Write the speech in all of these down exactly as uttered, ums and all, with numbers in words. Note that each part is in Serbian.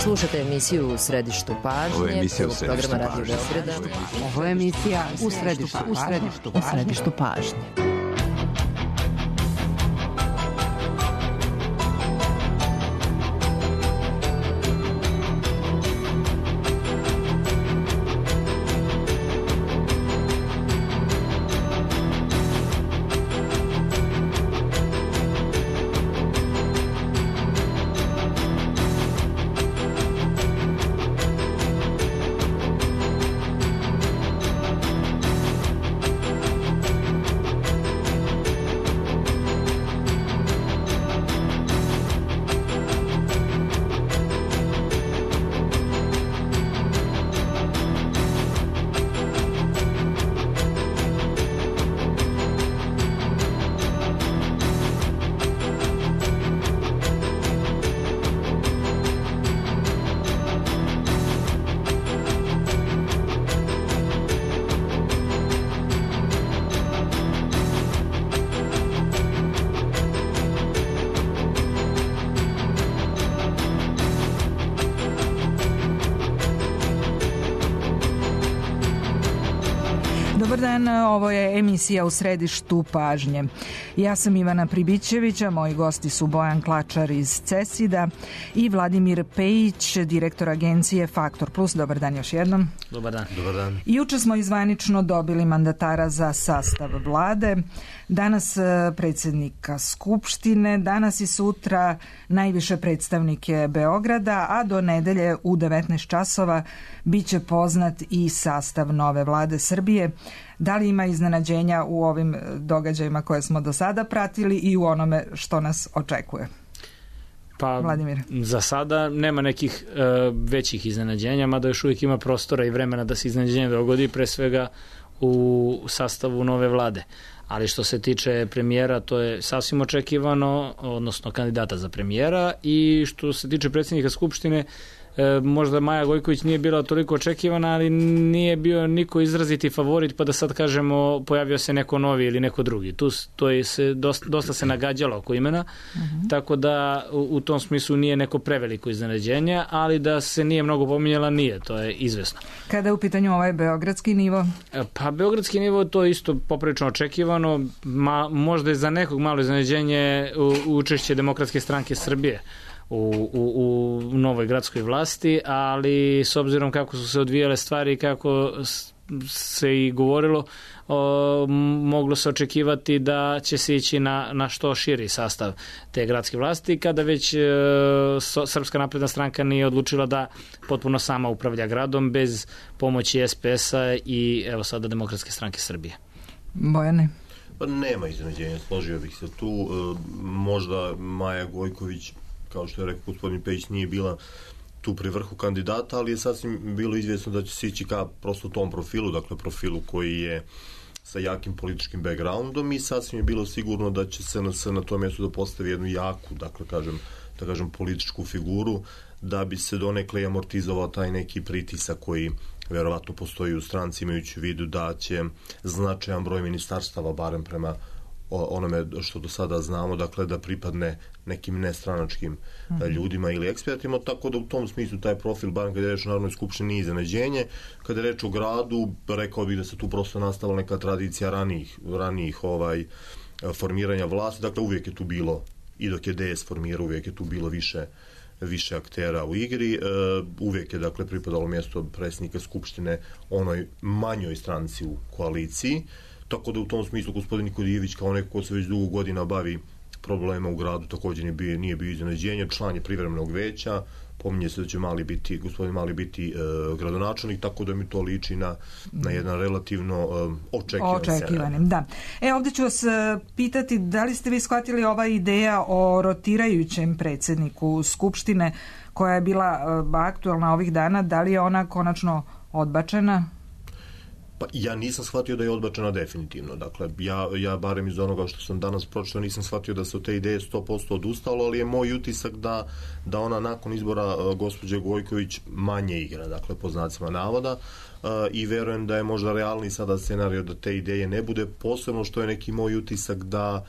Slušate emisiju U središtu pažnje. Ovo je emisija U središtu programa Radio Beograda. Ovo je emisija U središtu pažnje. U središtu pažnje. Dobar dan, ovo je emisija U središtu pažnje. Ja sam Ivana Pribićevića, moji gosti su Bojan Klačar iz CESID-a i Vladimir Pejić, direktor agencije Faktor Plus. Dobar dan još jednom. Dobar dan. Dobar dan. Juče smo izvanično dobili mandatara za sastav vlade, danas predsjednika Skupštine, danas i sutra najviše predstavnike Beograda, a do nedelje u devetnaest časova bit će poznat i sastav nove vlade Srbije. Da li ima iznenađenja u ovim događajima koje smo do sada pratili i u onome što nas očekuje? Pa, Vladimir. Za sada nema nekih uh, većih iznenađenja, mada još uvijek ima prostora i vremena da se iznenađenje dogodi, pre svega u sastavu nove vlade. Ali što se tiče premijera, to je sasvim očekivano, odnosno kandidata za premijera, i što se tiče predsjednika Skupštine, E, možda Maja Gojković nije bila toliko očekivana, ali nije bio niko izraziti favorit, pa da sad kažemo pojavio se neko novi ili neko drugi. Tu to je se dosta, dosta se nagađalo oko imena, uh-huh. Tako da u, u tom smislu nije neko preveliko iznenađenje, ali da se nije mnogo pominjala, nije, to je izvesno. Kada je u pitanju ovaj beogradski nivo? E, pa beogradski nivo to je isto poprilično očekivano, ma, možda je za nekog malo iznenađenje u, učešće Demokratske stranke Srbije U, u, u novoj gradskoj vlasti, ali s obzirom kako su se odvijale stvari i kako se i govorilo, o, moglo se očekivati da će se ići na, na što širi sastav te gradske vlasti, kada već e, so, Srpska napredna stranka nije odlučila da potpuno sama upravlja gradom bez pomoći es pe es-a i evo sada Demokratske stranke Srbije. Bojane? Pa nema iznenađenja, složio bih se tu. E, možda Maja Gojković, kao što je rekao gospodin Pejić, nije bila tu pri vrhu kandidata, ali je sasvim bilo izvjesno da će se ići ka prosto tom profilu, dakle profilu koji je sa jakim političkim backgroundom, i sasvim je bilo sigurno da će se na, se na tom mjestu da postavi jednu jaku, dakle kažem, da kažem političku figuru, da bi se donekle amortizovao taj neki pritisak koji verovatno postoji u stranci, imajući u vidu da će značajan broj ministarstava, barem prema onome što do sada znamo, dakle da pripadne nekim nestranačkim mm-hmm. ljudima ili ekspertima, tako da u tom smislu taj profil, barem kada je reč o Narodnoj skupštini, nije iznenađenje. Kada je reč o gradu, rekao bih da se tu prosto nastavila neka tradicija ranijih, ranijih ovaj, formiranja vlasti, dakle uvijek je tu bilo, i dok je de es formirao, uvijek je tu bilo više više aktera u igri, uh, uvijek je dakle pripadalo mjesto predsjednika Skupštine onoj manjoj stranci u koaliciji. Tako da u tom smislu gospodin Nikodijević, kao neko ko se već dugo godina bavi problema u gradu, također nije bio, nije bio iznenađenje, član je privremenog veća, pominje se da će Mali biti, gospodin Mali biti e, gradonačelnik, tako da mi to liči na, na jedan relativno e, očekivan očekivanim, da. E, ovdje ću vas pitati, da li ste vi shvatili ova ideja o rotirajućem predsjedniku Skupštine koja je bila e, aktualna ovih dana, da li je ona konačno odbačena? Pa ja nisam shvatio da je odbačena definitivno. Dakle, ja, ja barem iz onoga što sam danas pročitao nisam shvatio da se od te ideje sto posto odustalo, ali je moj utisak da, da ona nakon izbora uh, gospođe Gojković manje igra, dakle, po znacima navoda, uh, i verujem da je možda realni sada scenario da te ideje ne bude, posebno što je neki moj utisak da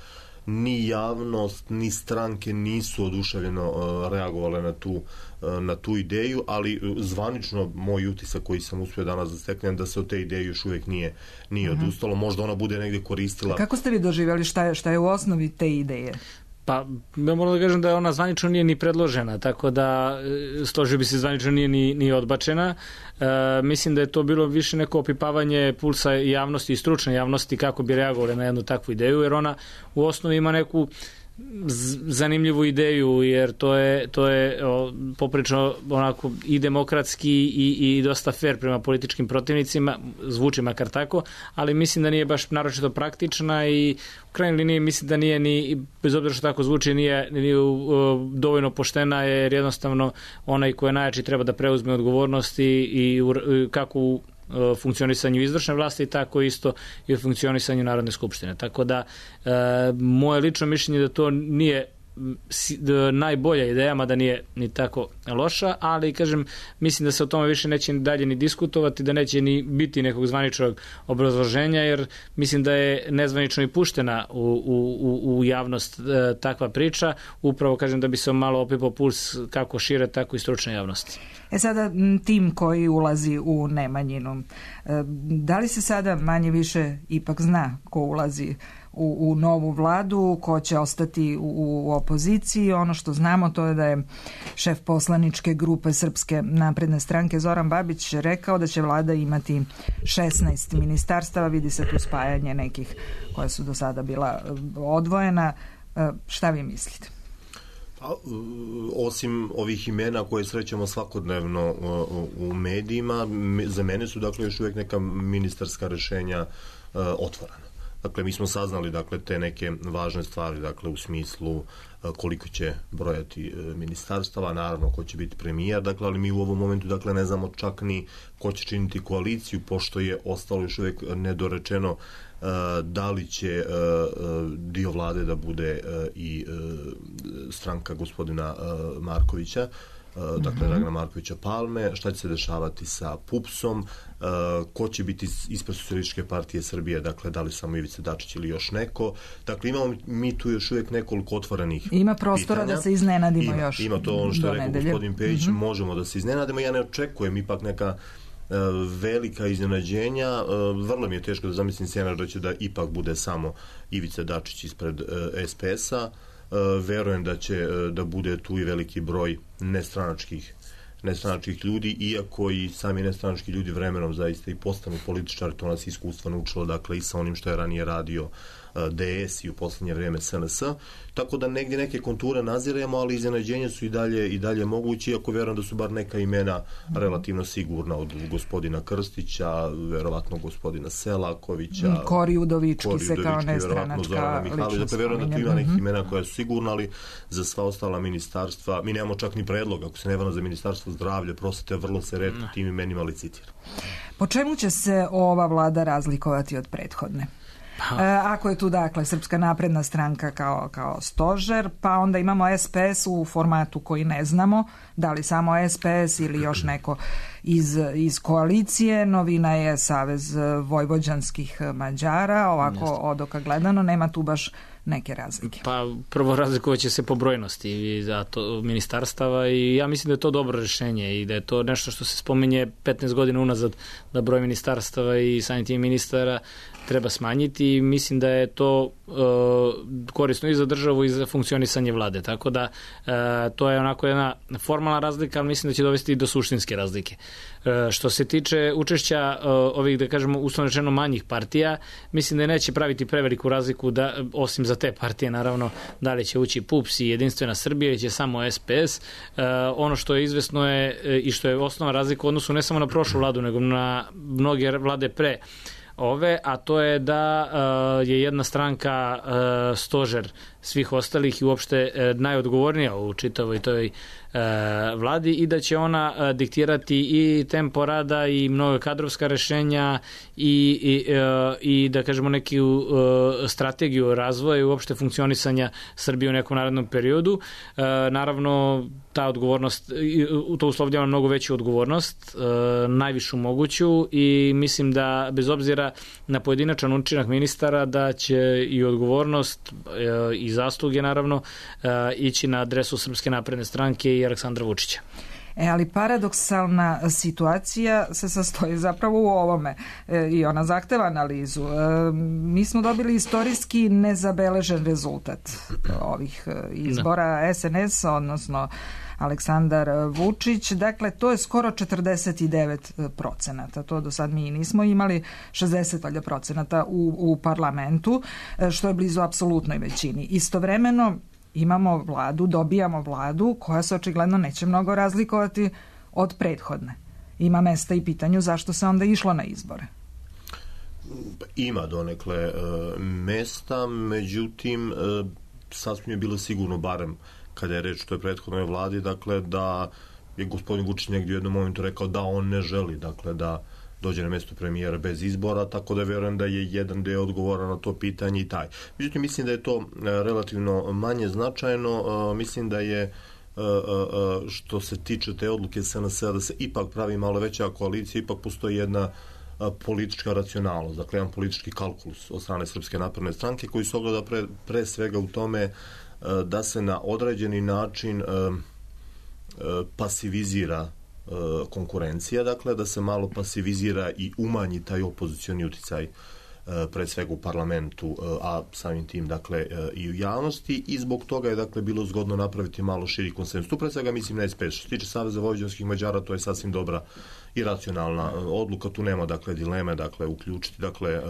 ni javnost, ni stranke nisu oduševljeno reagovale na tu, na tu ideju, ali zvanično moj utisak koji sam uspio danas da steknem da se od te ideje još uvijek nije, nije mm-hmm. odustalo. Možda ona bude negdje koristila. Kako ste vi doživjeli, šta je, šta je u osnovi te ideje? Pa, ja moram da kažem da ona zvanično nije ni predložena, tako da složio bi se zvanično nije ni, ni odbačena. E, mislim da je to bilo više neko opipavanje pulsa javnosti i stručne javnosti kako bi reagovali na jednu takvu ideju, jer ona u osnovi ima neku zanimljivu ideju, jer to je, to je o, poprično onako i demokratski i, i dosta fair prema političkim protivnicima, zvuči makar tako, ali mislim da nije baš naročito praktična i u krajnjoj liniji mislim da nije ni, bez obzira što tako zvuči, nije, nije o, dovoljno poštena, jer jednostavno onaj ko je najjači treba da preuzme odgovornosti i, i kako u funkcionisanju izvršne vlasti, tako isto i u funkcionisanju Narodne skupštine. Tako da, e, moje lično mišljenje da to nije najbolja ideja, mada nije ni tako loša, ali kažem, mislim da se o tome više neće dalje ni diskutovati, da neće ni biti nekog zvaničnog obrazloženja, jer mislim da je nezvanično i puštena u, u, u javnost e, takva priča, upravo kažem da bi se malo opipao puls kako šire, tako i stručne javnosti. E sada, tim koji ulazi u Nemanjinu, da li se sada manje više ipak zna ko ulazi u, u novu vladu, ko će ostati u, u opoziciji? Ono što znamo to je da je šef poslaničke grupe Srpske napredne stranke Zoran Babić rekao da će vlada imati šesnaest ministarstava, vidi se tu spajanje nekih koja su do sada bila odvojena. Šta vi mislite? Osim ovih imena koje srećemo svakodnevno u medijima, za mene su dakle još uvijek neka ministarska rješenja otvorena. Dakle, mi smo saznali dakle te neke važne stvari, dakle u smislu koliko će brojati ministarstava, naravno ko će biti premijer, dakle, ali mi u ovom momentu dakle ne znamo čak ni ko će činiti koaliciju, pošto je ostalo još uvijek nedorečeno da li će dio vlade da bude i stranka gospodina Markovića, dakle Dragana Markovića Palme, šta će se dešavati sa pupsom, ko će biti ispred Socijalističke partije Srbije, dakle da li samo Ivica Dačić ili još neko. Dakle, imamo mi tu još uvijek nekoliko otvorenih Ima prostora pitanja. Da se iznenadimo ima, još. Ima to ono što je rekao nedelje. Gospodin Pejić, mm-hmm. možemo da se iznenadimo. Ja ne očekujem ipak neka uh, velika iznenađenja. Uh, vrlo mi je teško da zamislim scenar da će da ipak bude samo Ivica Dačić ispred uh, es pe es-a. Uh, verujem da će uh, da bude tu i veliki broj nestranačkih nestranačkih ljudi, iako i sami nestranački ljudi vremenom zaista i postanu političari, to nas iskustvo naučilo, dakle i sa onim što je ranije radio de es i u posljednje vrijeme es en es. Tako da negdje neke konture naziremo, ali iznenađenja su i dalje i dalje mogući, iako vjerujem da su bar neka imena relativno sigurna, od gospodina Krstića, verovatno gospodina Selakovića, Kori Udovički se kao nestranačka ličnost. Dakle, vjerujem da tu ima nekih imena koja su sigurna, ali za sva ostala ministarstva, mi nemamo čak ni predlog, ako se ne varam, za ministarstvo zdravlja, prosvete, vrlo se retko tim imenima licitira. Po čemu će se ova vlada razlikovati od prethodne? Pa. E, ako je tu dakle Srpska napredna stranka kao, kao stožer, pa onda imamo es pe es u formatu koji ne znamo, da li samo es pe es ili još neko iz, iz koalicije. Novina je Savez vojvođanskih Mađara, ovako Jeste. Od oka gledano nema tu baš neke razlike. Pa prvo razlikovat će se po brojnosti za to ministarstava i ja mislim da je to dobro rješenje i da je to nešto što se spominje petnaest godina unazad, da broj ministarstava i samim tim ministara treba smanjiti i mislim da je to e, korisno i za državu i za funkcionisanje vlade. Tako da e, to je onako jedna formalna razlika, ali mislim da će dovesti i do suštinske razlike. E, što se tiče učešća e, ovih, da kažemo, uslovno rečeno manjih partija, mislim da neće praviti preveliku razliku, da, osim za te partije, naravno, da li će ući pups i Jedinstvena Srbija ili će samo es pe es. E, ono što je izvesno je e, i što je osnovna razlika u odnosu ne samo na prošlu vladu, nego na mnoge vlade pre ove, a to je da uh, je jedna stranka uh, stožer svih ostalih i uopšte najodgovornija u čitavoj toj vladi i da će ona diktirati i tempo rada i mnogo kadrovska rešenja i, i, i da kažemo neku strategiju razvoja i uopšte funkcionisanja Srbije u nekom narednom periodu. Naravno, ta odgovornost, to uslovljava mnogo veću odgovornost, najvišu moguću i mislim da bez obzira na pojedinačan učinak ministara da će i odgovornost i zasluge naravno ići na adresu Srpske napredne stranke i Aleksandra Vučića. E, ali paradoksalna situacija se sastoji zapravo u ovome e, i ona zahteva analizu. E, mi smo dobili istorijski nezabeležen rezultat ovih izbora S N S, odnosno Aleksandar Vučić. Dakle, to je skoro četrdeset devet procenata. To do sad mi nismo imali, šezdeset procenata u, u parlamentu, što je blizu apsolutnoj većini. Istovremeno imamo vladu, dobijamo vladu koja se očigledno neće mnogo razlikovati od prethodne. Ima mesta i pitanju zašto se onda išlo na izbore. Ima donekle e, mesta, međutim e, sasvim je bilo sigurno, barem kada je reč o toj prethodnoj vladi, dakle da je gospodin Vučić negdje u jednom momentu rekao da on ne želi, dakle da dođe na mjesto premijera bez izbora, tako da verujem da je jedan deo odgovora na to pitanje i taj. Međutim, mislim da je to relativno manje značajno. Mislim da je što se tiče te odluke S N S-a da se ipak pravi malo veća koalicija, ipak postoji jedna politička racionalnost, dakle jedan politički kalkulus od strane Srpske napredne stranke koji se ogleda pre, pre svega u tome da se na određeni način pasivizira konkurencija, dakle da se malo pasivizira i umanji taj opozicioni uticaj pre svega u parlamentu, a samim tim dakle i u javnosti i zbog toga je dakle bilo zgodno napraviti malo širi konsenzus. Tu pre svega mislim na S P S. Što se tiče Saveza vojvođanskih Mađara, to je sasvim dobra i racionalna odluka, tu nema dakle dileme, dakle uključiti dakle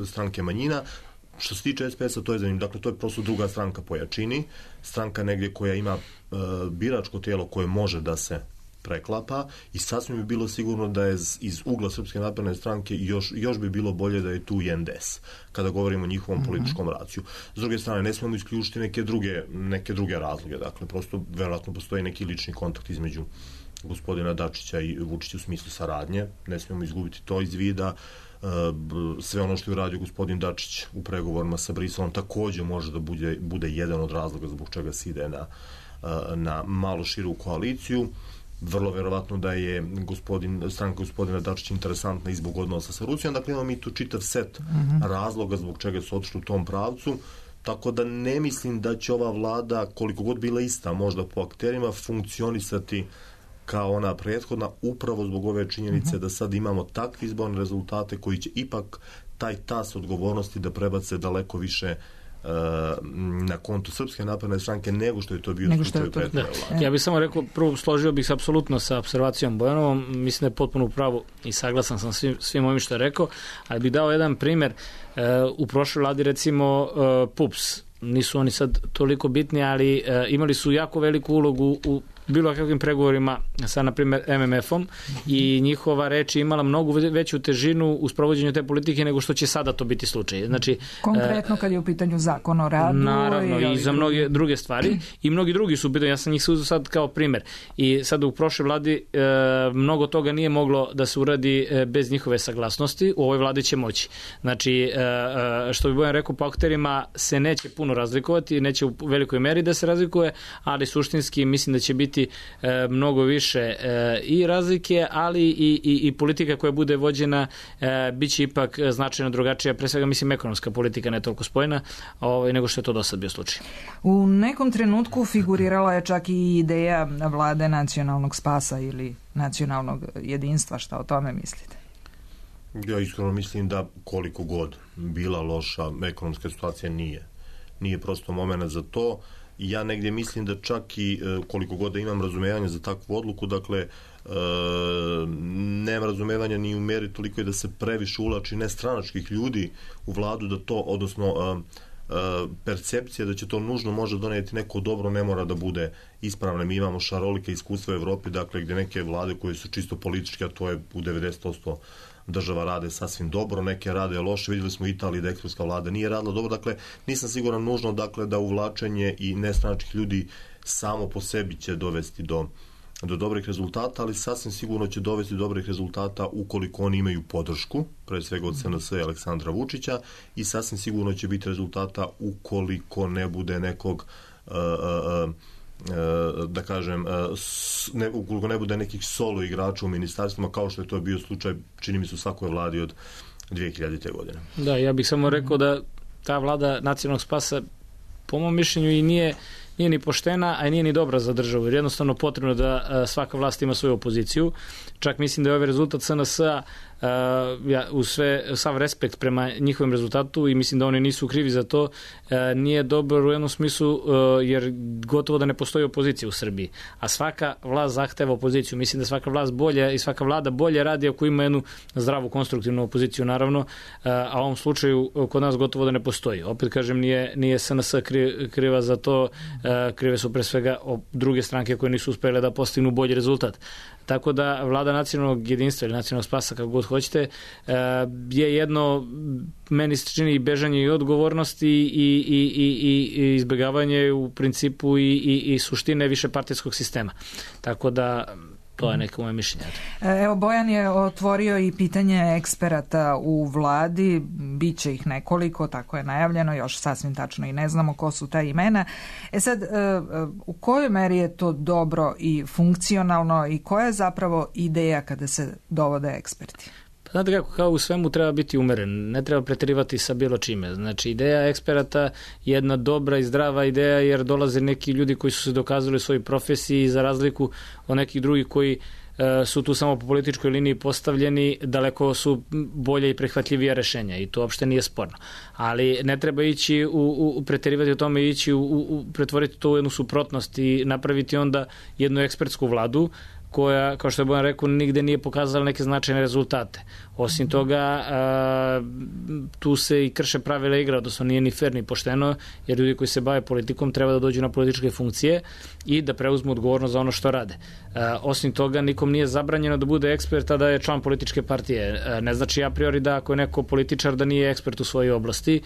stranke manjina. Što se tiče S P S-a, to je zanimljivo. Dakle, to je prosto druga stranka po jačini, stranka negdje koja ima biračko tijelo koje može da se preklapa i sasvim bi bilo sigurno da je iz ugla Srpske napredne stranke još, još bi bilo bolje da je tu i N D S, kada govorimo o njihovom mm-hmm. političkom raciju. S druge strane, ne smemo isključiti neke druge, neke druge razloge, dakle, prosto verovatno postoji neki lični kontakt između gospodina Dačića i Vučića u smislu saradnje, ne smemo izgubiti to iz vida. Sve ono što je uradio gospodin Dačić u pregovorima sa Briselom također može da bude, bude jedan od razloga zbog čega se ide na, na malo širu koaliciju. Vrlo verovatno da je gospodin, stranka gospodina Dačića interesantna i zbog odnosa sa Rusijom. Dakle, imamo mi tu čitav set mm-hmm. razloga zbog čega su otišli u tom pravcu. Tako da ne mislim da će ova vlada, koliko god bila ista možda po akterima, funkcionisati kao ona prethodna, upravo zbog ove činjenice uh-huh. da sad imamo takve izborne rezultate koji će ipak taj tas odgovornosti da prebace daleko više uh, na kontu Srpske napredne stranke nego što je to bio slučaj prethodne vlade. Ja bih samo rekao, prvo složio bih se apsolutno sa observacijom Bojanovom, mislim da je potpuno u pravu i saglasan sam svim, svim ovim što je rekao, ali bih dao jedan primjer. Uh, u prošloj vladi recimo uh, P U P S, nisu oni sad toliko bitni, ali uh, imali su jako veliku ulogu u bilo kakvim pregovorima sa, na primjer, M M F-om i njihova reč je imala mnogo veću težinu u sprovođenju te politike nego što će sada to biti slučaj. Znači, konkretno kad je u pitanju zakon o radu. Naravno, i, i za mnoge druge stvari. I mnogi drugi su u pitanju. Ja sam njih se uzeo sad kao primjer. I sad u prošloj vladi e, mnogo toga nije moglo da se uradi e, bez njihove saglasnosti. U ovoj vladi će moći. Znači, e, što bi Bojan rekao, po akterima se neće puno razlikovati, neće u velikoj meri da se razlikuje, ali suštinski mislim da će biti E, mnogo više e, i razlike, ali i, i, i politika koja bude vođena e, bit će ipak značajno drugačija, pre svega mislim ekonomska politika, ne toliko spojna, ovaj, nego što je to do sad bio slučaj. U nekom trenutku figurirala je čak i ideja vlade nacionalnog spasa ili nacionalnog jedinstva. Šta o tome mislite? Ja iskreno mislim da koliko god bila loša ekonomska situacija nije. Nije prosto moment za to. Ja negdje mislim da čak i koliko god da imam razumevanja za takvu odluku, dakle, e, nema razumevanja ni u meri toliko je da se previše ulači nestranačkih ljudi u vladu, da to, odnosno e, e, percepcija da će to nužno može donijeti neko dobro ne mora da bude ispravna. Mi imamo šarolike iskustva u Evropi, dakle, gdje neke vlade koje su čisto političke, a to je u devedeset posto država rade sasvim dobro, neke rade loše. Vidjeli smo u Italiji da ekspertska vlada nije radila dobro. Dakle, nisam siguran nužno dakle, da uvlačenje i nestranačkih ljudi samo po sebi će dovesti do, do dobrih rezultata, ali sasvim sigurno će dovesti do dobrih rezultata ukoliko oni imaju podršku, pre svega od S N S i Aleksandra Vučića, i sasvim sigurno će biti rezultata ukoliko ne bude nekog uh, uh, da kažem, ne, ukoliko ne bude nekih solo igrača u ministarstvima, kao što je to bio slučaj, čini mi se, u svakoj vladi od dvije hiljadite. godine. Da, ja bih samo rekao da ta vlada nacionalnog spasa, po mom mišljenju, i nije nije ni poštena, a nije ni dobra za državu, jer jednostavno potrebno da svaka vlast ima svoju opoziciju. Čak mislim da je ovaj rezultat S N S-a Uh, ja, u sve, sav respekt prema njihovom rezultatu i mislim da oni nisu krivi za to, uh, nije dobar u jednom smislu uh, jer gotovo da ne postoji opozicija u Srbiji, a svaka vlast zahteva opoziciju. Mislim da svaka vlast bolje i svaka vlada bolje radi ako ima jednu zdravu konstruktivnu opoziciju, naravno, uh, a u ovom slučaju kod nas gotovo da ne postoji. Opet kažem, nije, nije S N S kri, kriva za to, uh, krive su pre svega druge stranke koje nisu uspjele da postignu bolji rezultat. Tako da vlada nacionalnog jedinstva ili nacionalnog spasa, kako god hoćete, je jedno, meni se čini, bežanje i odgovornosti i, i, i, i izbjegavanje u principu i, i, i suštine višepartijskog sistema. Tako da to je neko moje mišljenje. Evo, Bojan je otvorio i pitanje eksperata u vladi, bit će ih nekoliko, tako je najavljeno, još sasvim tačno i ne znamo ko su ta imena. E sad, u kojoj meri je to dobro i funkcionalno i koja je zapravo ideja kada se dovode eksperti? Znate kako, kao u svemu treba biti umeren, ne treba preterivati sa bilo čime. Znači, ideja eksperata je jedna dobra i zdrava ideja, jer dolaze neki ljudi koji su se dokazali u svojoj profesiji, za razliku od nekih drugih koji e, su tu samo po političkoj liniji postavljeni, daleko su bolje i prihvatljivija rešenja i to uopšte nije sporno. Ali ne treba ići u, u preterivati o tome, ići u, u, pretvoriti to u jednu suprotnost i napraviti onda jednu ekspertsku vladu koja, kao što je Bojan rekao, nigde nije pokazala neke značajne rezultate. Osim toga, a, tu se i krše pravila igre, odnosno nije ni fer ni pošteno, jer ljudi koji se bave politikom treba da dođu na političke funkcije i da preuzmu odgovornost za ono što rade. A, osim toga, nikom nije zabranjeno da bude ekspert, a da je član političke partije. A, ne znači a priori da ako je neko političar da nije ekspert u svojoj oblasti.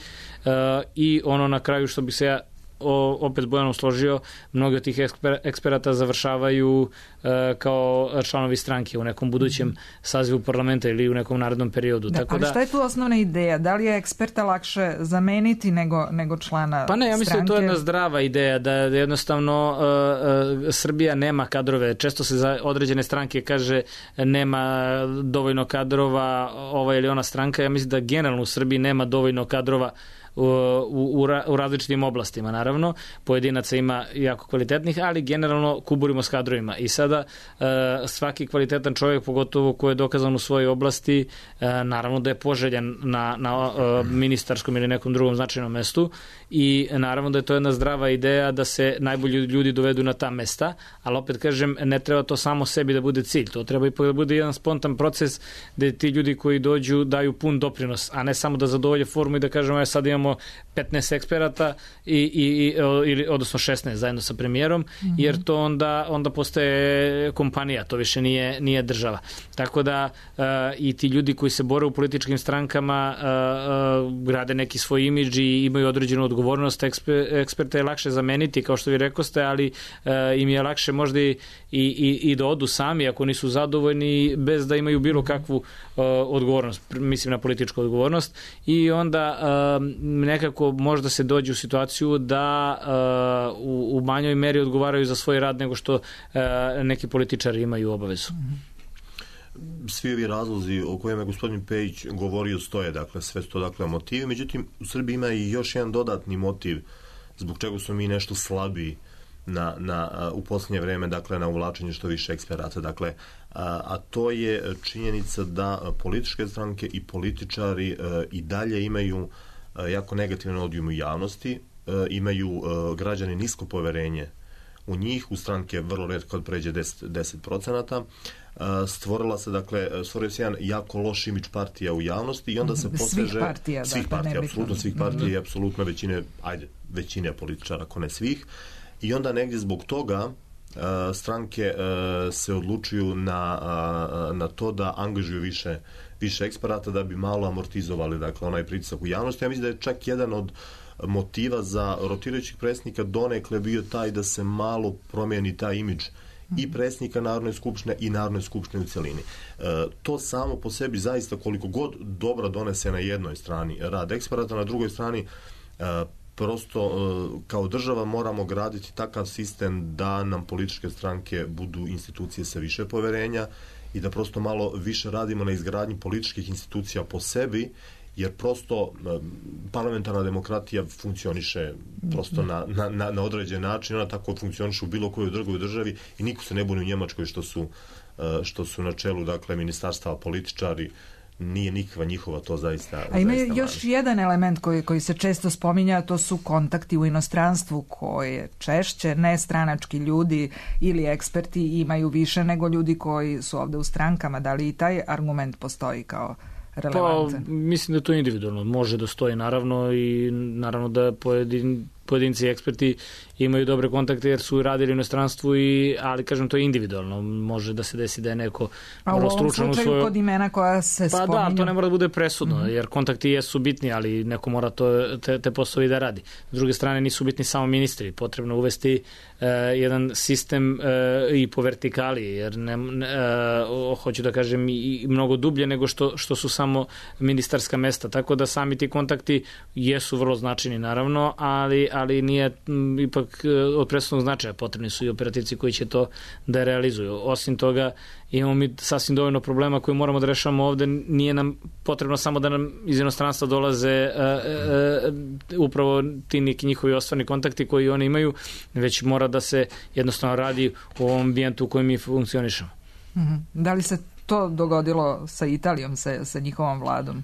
A, I ono na kraju što bi se ja O, opet Bojanom složio, mnogi od tih eksper, eksperata završavaju e, kao članovi stranke u nekom budućem mm. sazivu parlamenta ili u nekom narednom periodu. Da, Tako ali da, šta je tu osnovna ideja? Da li je eksperta lakše zameniti nego, nego člana stranke? Pa ne, ja mislim stranke? Da to je jedna zdrava ideja, da jednostavno e, e, Srbija nema kadrove. Često se za određene stranke kaže nema dovoljno kadrova ova ili ona stranka. Ja mislim da generalno u Srbiji nema dovoljno kadrova U, u, u različitim oblastima, naravno. Pojedinaca ima jako kvalitetnih, ali generalno kuburimo s kadrovima. I sada e, svaki kvalitetan čovjek, pogotovo ko je dokazan u svojoj oblasti, e, naravno da je poželjan na, na e, ministarskom ili nekom drugom značajnom mestu i naravno da je to jedna zdrava ideja da se najbolji ljudi dovedu na ta mesta, ali opet kažem, ne treba to samo sebi da bude cilj. To treba ipak da bude jedan spontan proces gde ti ljudi koji dođu daju pun doprinos, a ne samo da zadovolje formu i da kažemo, ja sad imamo petnaest eksperata i, i, ili, odnosno šesnaest zajedno sa premijerom, mm-hmm. jer to onda, onda postaje kompanija, to više nije, nije država. Tako da uh, i ti ljudi koji se bore u političkim strankama uh, uh, grade neki svoj imidž i imaju određenu odgovornost. Eksper, eksperte je lakše zameniti, kao što vi rekoste, ali uh, im je lakše možda i, i, i da odu sami ako nisu zadovoljni bez da imaju bilo kakvu uh, odgovornost, mislim na političku odgovornost, i onda uh, nekako možda se dođe u situaciju da uh, u, u manjoj meri odgovaraju za svoj rad nego što uh, neki političari imaju obavezu. Svi ovi razlozi o kojima je gospodin Pejić govorio stoje, dakle, sve sto dakle motivi, međutim u Srbiji ima i još jedan dodatni motiv zbog čega smo mi nešto slabiji na, na, u posljednje vreme, dakle, na uvlačenje što više eksperata, dakle, a, a to je činjenica da političke stranke i političari a, i dalje imaju a, jako negativan odijum u javnosti, a, imaju a, građani nisko poverenje u njih, u stranke vrlo retko kad pređe deset procenata. Stvorila se, dakle, stvorio se jedan jako loš imidž partija u javnosti i onda se poseže... Svih partija, svih dakle, partija, apsolutno svih partija mm-hmm. i apsolutno većine, ajde, većine političara, ako ne svih. I onda negdje zbog toga stranke se odlučuju na, na to da angažuju više, više eksperata da bi malo amortizovali, dakle, onaj pritisak u javnosti. Ja mislim da je čak jedan od motiva za rotirajućih predsjednika donekle bio taj da se malo promijeni taj imidž i predsjednika Narodne skupštine i Narodne skupštine u celini. E, to samo po sebi zaista koliko god dobra donese na jednoj strani rad eksperata, na drugoj strani e, prosto e, kao država moramo graditi takav sistem da nam političke stranke budu institucije sa više poverenja i da prosto malo više radimo na izgradnji političkih institucija po sebi, jer prosto parlamentarna demokratija funkcioniše prosto na, na, na određen način, ona tako funkcioniše u bilo kojoj drugoj državi i niko se ne buni u Njemačkoj što su, što su na čelu, dakle, ministarstava političari, nije nikakva njihova, to zaista... A ima zaista još manje. Jedan element koji, koji se često spominja, to su kontakti u inostranstvu koje češće nestranački ljudi ili eksperti imaju više nego ljudi koji su ovde u strankama. Da li i taj argument postoji kao relevantan? Pa, mislim da je to individualno. Može da stoji, naravno, i naravno da pojedin, pojedinci i eksperti imaju dobre kontakte jer su radili u inostranstvu, i, ali kažem, to je individualno. Može da se desi da je neko vrlo stručan u svojoj... A u ovom slučaju kod imena koja se pa spominju... Pa da, to ne mora da bude presudno, mm-hmm. jer kontakti jesu bitni, ali neko mora to, te, te poslovi da radi. S druge strane, nisu bitni samo ministri. Potrebno uvesti uh, jedan sistem uh, i po vertikali, jer ne, uh, hoću da kažem i, i mnogo dublje nego što, što su samo ministarska mesta. Tako da sami ti kontakti jesu vrlo značajni, naravno, ali, ali nije m, ipak od presudnog značaja. Potrebni su i operativci koji će to da realizuju. Osim toga, imamo mi sasvim dovoljno problema koje moramo da rešavamo ovde. Nije nam potrebno samo da nam iz inostranstva dolaze uh, uh, upravo ti neki njihovi ostvarni kontakti koji oni imaju, već mora da se jednostavno radi u ovom ambijentu u kojem mi funkcionišemo. Mm-hmm. Da li se to dogodilo sa Italijom, sa, sa njihovom vladom?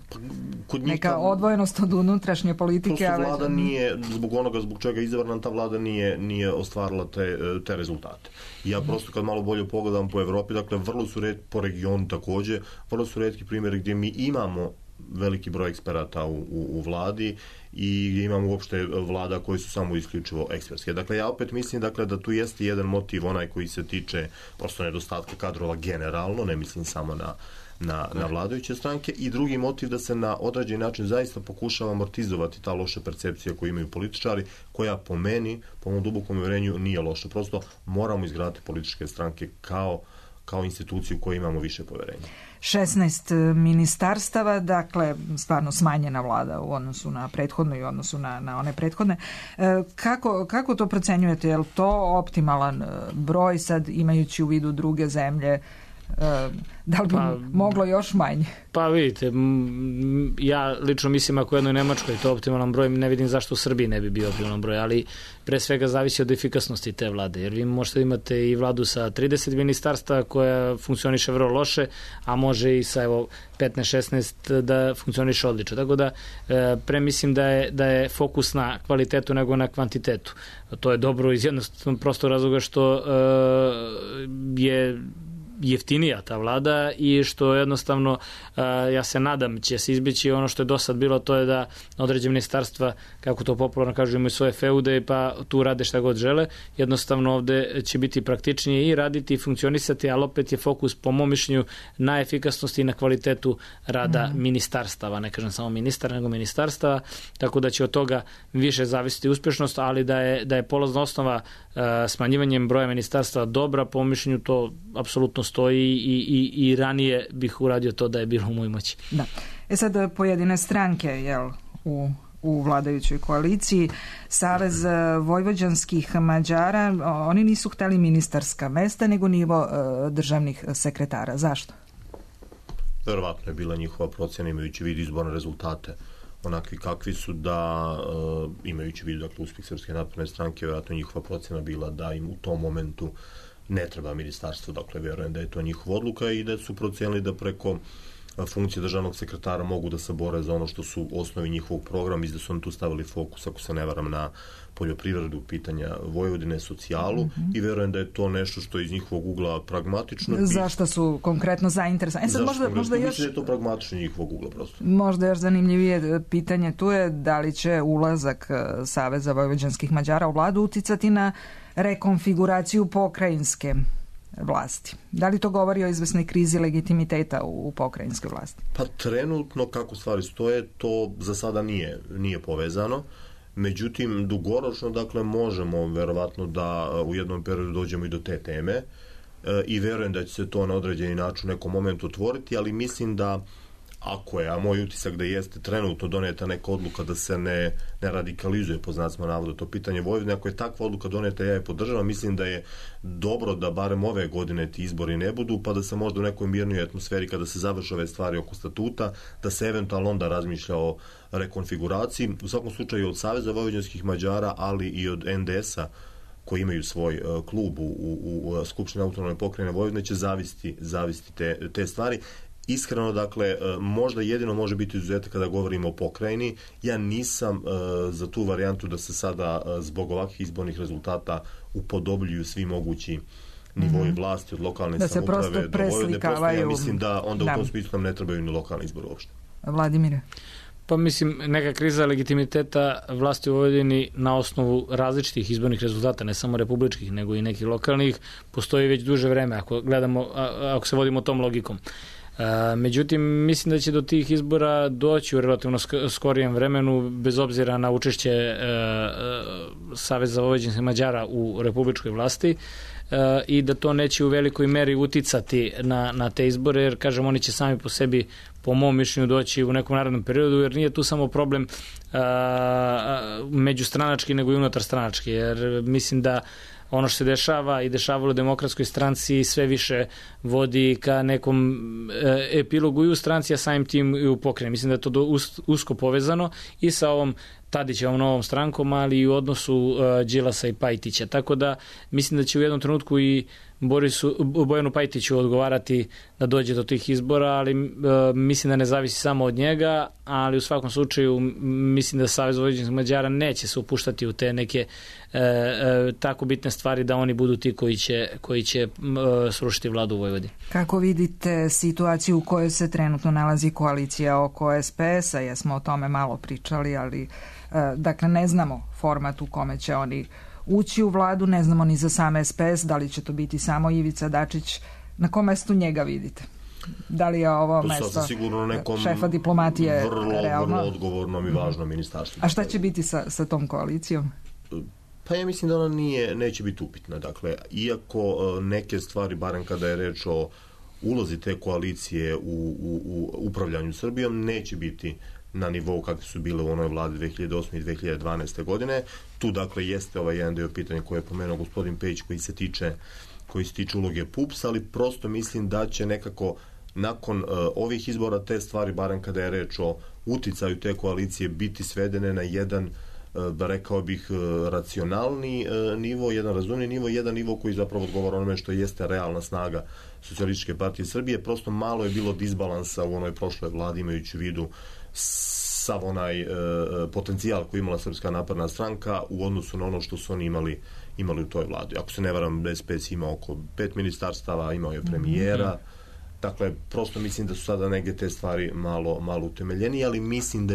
Kod njih neka odvojenost od unutrašnje politike. Prosto vlada nije, zbog onoga zbog čega je izabrana, ta vlada nije, nije ostvarila te, te rezultate. I ja prosto kad malo bolje pogledam po Evropi, dakle vrlo su red, po regionu takođe, vrlo su retki primjeri gdje mi imamo veliki broj eksperata u, u, u vladi i gdje imamo uopšte vlada koji su samo isključivo ekspertske. Dakle, ja opet mislim, dakle, da tu jeste jedan motiv, onaj koji se tiče prosto nedostatka kadrova generalno, ne mislim samo na, na, na vladajuće stranke, i drugi motiv da se na određen način zaista pokušava amortizovati ta loša percepcija koju imaju političari, koja po meni, po mom dubokom uvjerenju, nije loša. Prosto moramo izgraditi političke stranke kao kao instituciju u kojoj imamo više poverenja. šesnaest ministarstava, dakle, stvarno smanjena vlada u odnosu na prethodno i u odnosu na, na one prethodne. Kako, kako to procenjujete? Je li to optimalan broj sad, imajući u vidu druge zemlje? Da li bi pa, moglo još manje? Pa vidite, ja lično mislim ako u jednoj Nemačkoj je to optimalan broj, ne vidim zašto u Srbiji ne bi bio optimalan broj, ali pre svega zavisi od efikasnosti te vlade, jer vi možete imate i vladu sa trideset ministarstva koja funkcioniše vrlo loše, a može i sa evo petnaest šesnaest da funkcioniše odlično. Tako da pre mislim da je, da je fokus na kvalitetu nego na kvantitetu. To je dobro iz jednostavnog prostog razloga što je jeftinija ta vlada i što jednostavno ja se nadam će se izbjeći ono što je do sad bilo, to je da određene ministarstva, kako to popularno kažu, imaju svoje feude pa tu rade šta god žele. Jednostavno ovde će biti praktičnije i raditi i funkcionisati, ali opet je fokus po mom mišljenju na efikasnosti i na kvalitetu rada mm. ministarstava, ne kažem samo ministar nego ministarstava, tako da će od toga više zavisiti uspješnost, ali da je, da je polazna osnova smanjivanjem broja ministarstva dobra, po mišljenju to apsolutno stoji i, i, i ranije bih uradio to da je bilo u mojoj moći. Da. E sad pojedine stranke, jel, u u vladajućoj koaliciji, Savez vojvođanskih Mađara, oni nisu hteli ministarska mesta, nego nivo uh, državnih sekretara. Zašto? Verovatno je bila njihova procjena, imajući vid izborne rezultate onakvi kakvi su, da uh, imajući vid, dakle, uspjeh Srpske napredne stranke, vjerojatno njihova procjena bila da im u tom momentu ne treba ministarstvo, dakle, vjerujem da je to njihova odluka i da su procijenili da preko funkcije državnog sekretara mogu da se bore za ono što su osnovi njihovog programa i da su oni tu stavili fokus, ako se ne varam, na poljoprivredu, pitanja Vojvodine, socijalu mm-hmm. i verujem da je to nešto što je iz njihovog ugla pragmatično. Zašto su konkretno zainteresovani? E sad možda, možda još... Mislim da je to pragmatično njihovog ugla prosto. Možda još zanimljivije pitanje tu je da li će ulazak Saveza vojvođanskih Mađara u vladu uticati na rekonfiguraciju pokrajinske vlasti. Da li to govori o izvesnoj krizi legitimiteta u pokrajinskoj vlasti? Pa trenutno kako stvari stoje, to za sada nije, nije povezano. Međutim, dugoročno, dakle, možemo verovatno da u jednom periodu dođemo i do te teme e, i verujem da će se to na određeni način u nekom momentu otvoriti, ali mislim da ako je, a moj utisak da jeste trenutno doneta neka odluka da se ne, ne radikalizuje, po znacima navoda, to pitanje Vojvodine, ako je takva odluka doneta, ja je podržavam, mislim da je dobro da barem ove godine ti izbori ne budu, pa da se možda u nekoj mirnoj atmosferi kada se završe ove stvari oko statuta, da se eventualno onda razmišlja o rekonfiguraciji. U svakom slučaju od Saveza vojvođanskih Mađara, ali i od en de es-a, koji imaju svoj uh, klub u, u, u Skupštini autonomne pokrajine Vojvodine, će zavisiti, zavisiti te, te stvari. Iskreno, dakle, možda jedino može biti izuzetak kada govorimo o pokrajini. Ja nisam uh, za tu varijantu da se sada uh, zbog ovakvih izbornih rezultata upodobljuju svi mogući nivoji mm-hmm. vlasti od lokalne da samouprave do Vojvodine. Prosto ja mislim da onda da. u tom smislu nam ne trebaju ni lokalni izbor uopšte. Vladimire? Pa mislim, neka kriza legitimiteta vlasti u Vojvodini na osnovu različitih izbornih rezultata, ne samo republičkih, nego i nekih lokalnih, postoji već duže vreme, ako gledamo, ako se vodimo tom logikom. Međutim, mislim da će do tih izbora doći u relativno skorijem vremenu, bez obzira na učešće e, Saveza vojvođanskih Mađara u republičkoj vlasti e, i da to neće u velikoj meri uticati na, na te izbore, jer, kažem, oni će sami po sebi, po mom mišljenju, doći u nekom narednom periodu, jer nije tu samo problem a, međustranački, nego i unutarstranački, jer mislim da ono što se dešava i dešavalo u Demokratskoj stranci sve više vodi ka nekom e, epilogu i u stranci, a samim tim i u pokrajini. Mislim da je to do, us, usko povezano i sa ovom Tadićevom novom strankom, ali i u odnosu e, Đilasa i Pajtića. Tako da mislim da će u jednom trenutku i Borisu, Bojanu Pajtiću odgovarati da dođe do tih izbora, ali e, mislim da ne zavisi samo od njega, ali u svakom slučaju mislim da Savez vojvođanskih Mađara neće se upuštati u te neke e, e, tako bitne stvari da oni budu ti koji će, koji će e, srušiti vladu u Vojvodini. Kako vidite situaciju u kojoj se trenutno nalazi koalicija oko es pe es-a? Jesmo o tome malo pričali, ali e, dakle ne znamo format u kome će oni ući u vladu, ne znamo ni za sam es pe es, da li će to biti samo Ivica Dačić. Na kom mestu njega vidite? Da li je ovo to mesto nekom šefa diplomatije vrlo, realno? Vrlo odgovornom i važnom ministarstvu. A šta će biti sa, sa tom koalicijom? Pa ja mislim da ona nije, neće biti upitna. Dakle, iako neke stvari, barem kada je reč o ulozi te koalicije u, u, u upravljanju Srbijom, neće biti na nivou kakve su bile u onoj vladi dve hiljade osme i dve hiljade dvanaeste. godine. Tu, dakle, jeste ovaj jedan dio pitanja koje je pomenuo gospodin Pejić, koji se tiče koji se tiče uloge P U P S, ali prosto mislim da će nekako nakon uh, ovih izbora te stvari, barem kada je reč o uticaju te koalicije, biti svedene na jedan, uh, da rekao bih, uh, racionalni uh, nivo, jedan razumni nivo, jedan nivo koji zapravo odgovara onome što jeste realna snaga Socijalističke partije Srbije. Prosto malo je bilo disbalansa u onoj prošloj vladi, imajući u vidu sav onaj e, potencijal koji imala Srpska napredna stranka u odnosu na ono što su oni imali, imali u toj vladi. Ako se ne varam, es pe es ima oko pet ministarstava, imao je premijera. Mm-hmm. Dakle, prosto mislim da su sada neke te stvari malo, malo utemeljeni, ali mislim da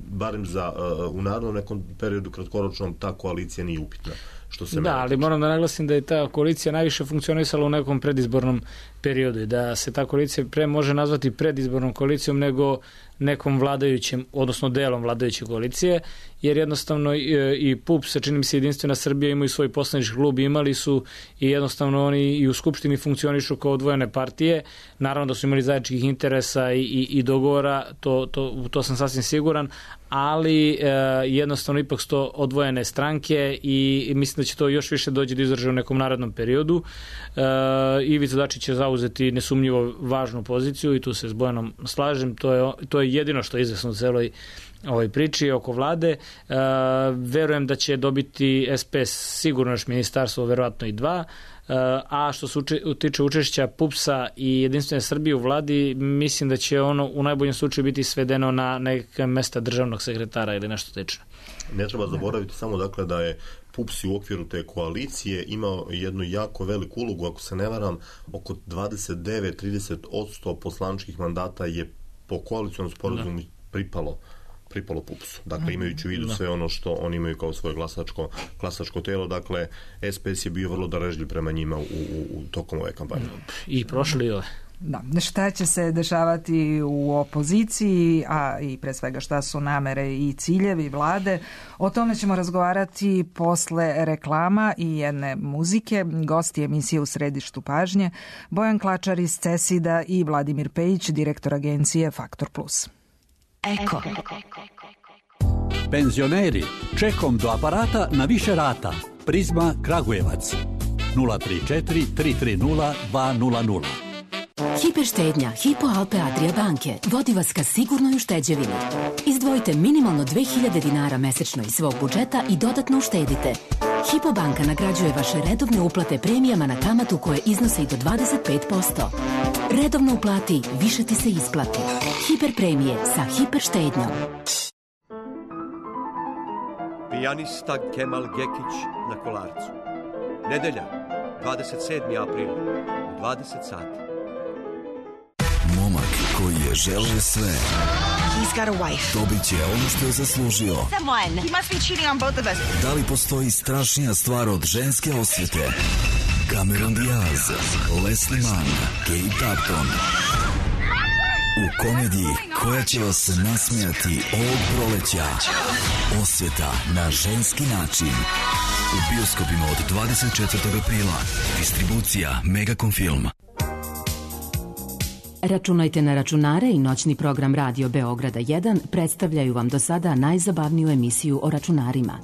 barem za, uh, u narednom nekom periodu kratkoročnom ta koalicija nije upitna. Što se da, ali moram da naglasim da je ta koalicija najviše funkcionisala u nekom predizbornom periodu i da se ta koalicija pre može nazvati predizbornom koalicijom nego nekom vladajućem, odnosno delom vladajuće koalicije, jer jednostavno i, i P U P S, čini mi se Jedinstvena Srbija, imaju svoj poslanički klub, imali su i jednostavno oni i u Skupštini funkcionišu kao odvojene partije. Naravno da su imali zajedničkih interesa i, i, i dogovora, to, to, to sam sasvim siguran, ali e, jednostavno ipak su to odvojene stranke i, i mislim da će to još više doći do izražaja u nekom narednom periodu. E, Ivica Dačić će zauzeti nesumnjivo važnu poziciju i tu se s Bojanom slažem, to je, to je jedino što je izvesno u celoj ovoj priči oko vlade. E, verujem da će dobiti es pe es sigurno još ministarstvo, verovatno i dva. A što se tiče učešća PUPS-a i Jedinstvene Srbije u vladi, mislim da će ono u najboljem slučaju biti svedeno na neke mesta državnog sekretara ili nešto slično. Ne treba zaboraviti samo dakle da je PUPS u okviru te koalicije imao jednu jako veliku ulogu, ako se ne varam, oko dvadeset devet do trideset posto poslaničkih mandata je po koalicionom sporazumu pripalo pripalo PUPS-u. Dakle, imajući u vidu da. sve ono što oni imaju kao svoje glasačko, glasačko telo, dakle, S P S je bio vrlo darežljiv prema njima u, u, u tokom ove kampanje. I prošli ove. Da, šta će se dešavati u opoziciji, a i pre svega šta su namere i ciljevi vlade, o tome ćemo razgovarati posle reklama i jedne muzike. Gosti emisije U središtu pažnje, Bojan Klačar iz Cesida i Vladimir Pejić, direktor agencije Faktor Plus. Eko. Penzioneri, čekom do aparata na više rata. Prizma Kragujevac. nula tri četiri tri tri nula dva nula nula. Hiperštednja Hypo Alpe Adria banke vodi vas ka sigurnoj ušteđevini. Izdvojite minimalno dve hiljade dinara mesečno iz svog budžeta i dodatno uštedite. Hypo banka nagrađuje vaše redovne uplate premijama na kamatu koje iznose i do dvadeset pet posto. Redovno uplati, više ti se isplati. Hiper premije sa hiperštednjom. Pijanista Kemal Gekić na Kolarcu. Nedelja, dvadeset sedmi april, u dvadeset sati. Momak koji je želeo sve. He's got a wife. Dobit će ono što je zaslužio. Someone. He must be cheating on both of us. Da li postoji strašnija stvar od ženske osvete? Cameron Diaz, Leslie Mann, Kate Upton. U komediji koja će vas nasmijati ovog proleća. Osveta na ženski način. U bioskopima od dvadeset četvrtog aprila. Distribucija Megacom Film. Računajte na računare i noćni program Radio Beograda jedan predstavljaju vam do sada najzabavniju emisiju o računarima.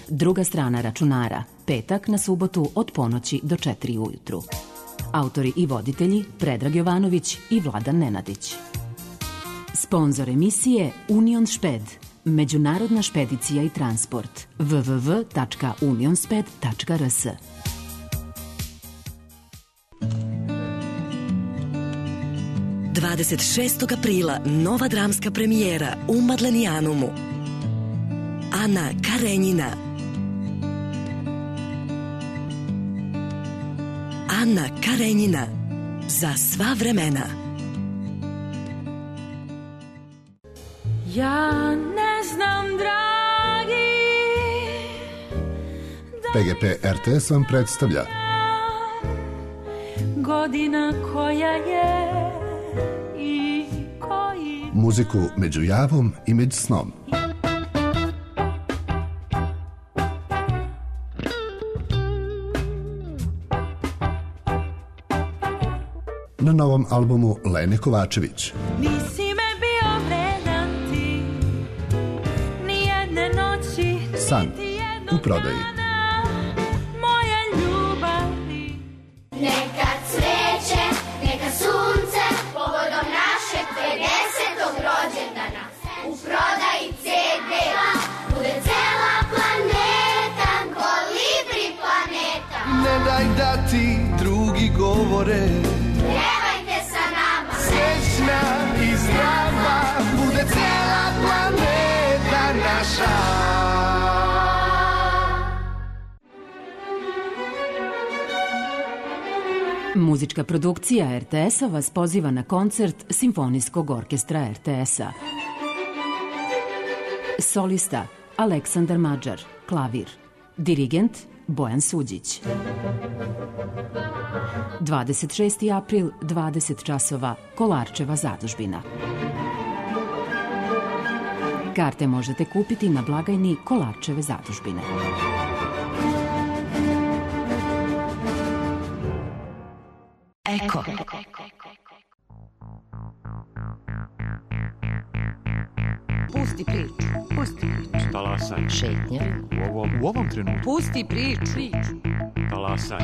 Druga strana računara, petak na subotu od ponoći do četiri ujutru. Autori i voditelji Predrag Jovanović i Vladan Nenadić. Sponzor emisije Union Šped, međunarodna špedicija i transport. w w w tačka unionsped tačka r s. dvadeset šestog aprila nova dramska premijera u Madlenijanumu. Ana Karenjina. Ana Karenjina. Za sva vremena. Ja ne znam, dragi, P G P R T S vam predstavlja godina koja je i koji muziku među javom i među snom. Na novom albumu Lene Kovačević. Nisi me bio vredan ti, ni jedne noći, San u prodaji. moje ljubavi. Neka cveće, neka sunce, povodom našeg pedesetog rođendana. U prodaji ce de, bude cela planeta, kolibri planeta. Ne daj da ti drugi govore, pevajte sa nama, srećna i zdrava, bude cela planeta naša. Muzička produkcija R T S-a vas poziva na koncert Simfonijskog orkestra R T S-a. Solista Aleksandar Mađar, klavir. Dirigent Bojan Suđić. dvadeset šesti april, dvadeset časova, Kolarčeva zadužbina. Karte možete kupiti na blagajni Kolarčeve zadužbine. Eko. Pusti priču, pusti priču. Talasaj. Šetnja. U ovom, u ovom trenutku. Pusti priču. Talasaj.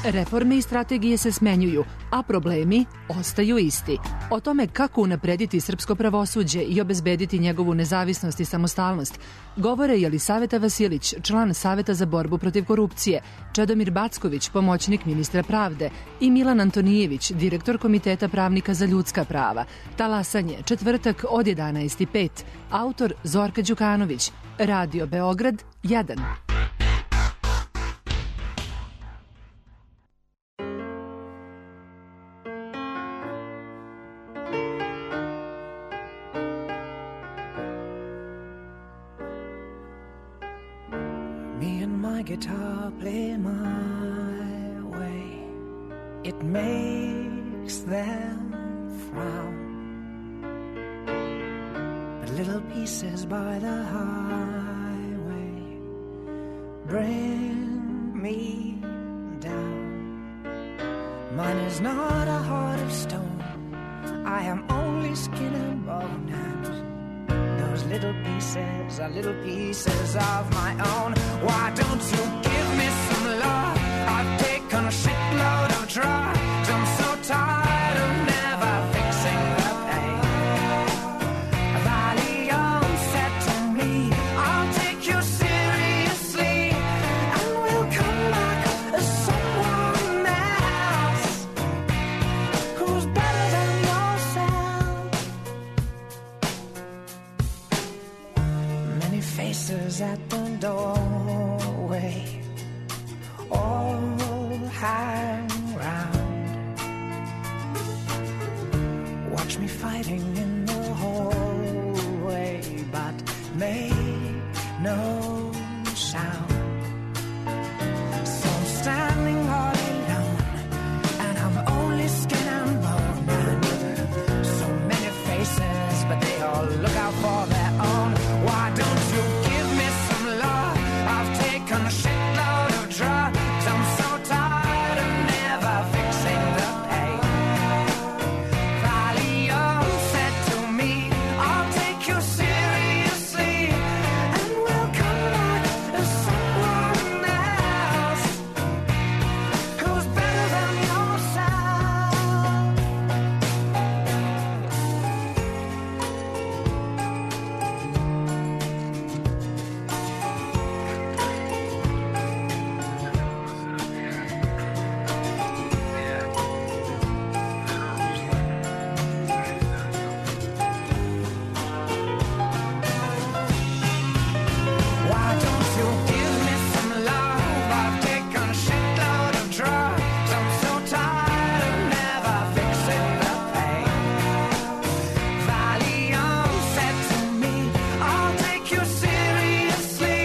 Reforme i strategije se smenjuju, a problemi ostaju isti. O tome kako unaprediti srpsko pravosuđe i obezbediti njegovu nezavisnost i samostalnost govore Jelisaveta Vasilić, član Saveta za borbu protiv korupcije, Čedomir Backović, pomoćnik ministra pravde i Milan Antonijević, direktor Komiteta pravnika za ljudska prava. Talasanje, četvrtak od jedanaest i pet. Autor Zorka Đukanović. Radio Beograd jedan. Guitar play my way, it makes them frown, but little pieces by the highway bring me down. Mine is not a heart of stone, I am only skin and bone, and those little pieces are little pieces of my own. Why don't you give me some love? I've taken a shitload of drugs. I'm so tired of never fixing the pain. Valium said to me, I'll take you seriously, and we'll come back as someone else who's better than yourself. Many faces at the doorway, all hang round. Watch me fighting in the hallway, but make no sound. So I'm standing all alone, and I'm only skin and bone. And so many faces, but they all look out for their own. Why don't you give me some love? I've taken a shitload of drugs. I'm so tired of never fixing the pain. Valium said to me, I'll take you seriously, and we'll come back as someone else who's better than yourself. Why don't you give me some love? I've taken a shitload of drugs. I'm so tired of never fixing the pain. Valium said to me, I'll take you seriously,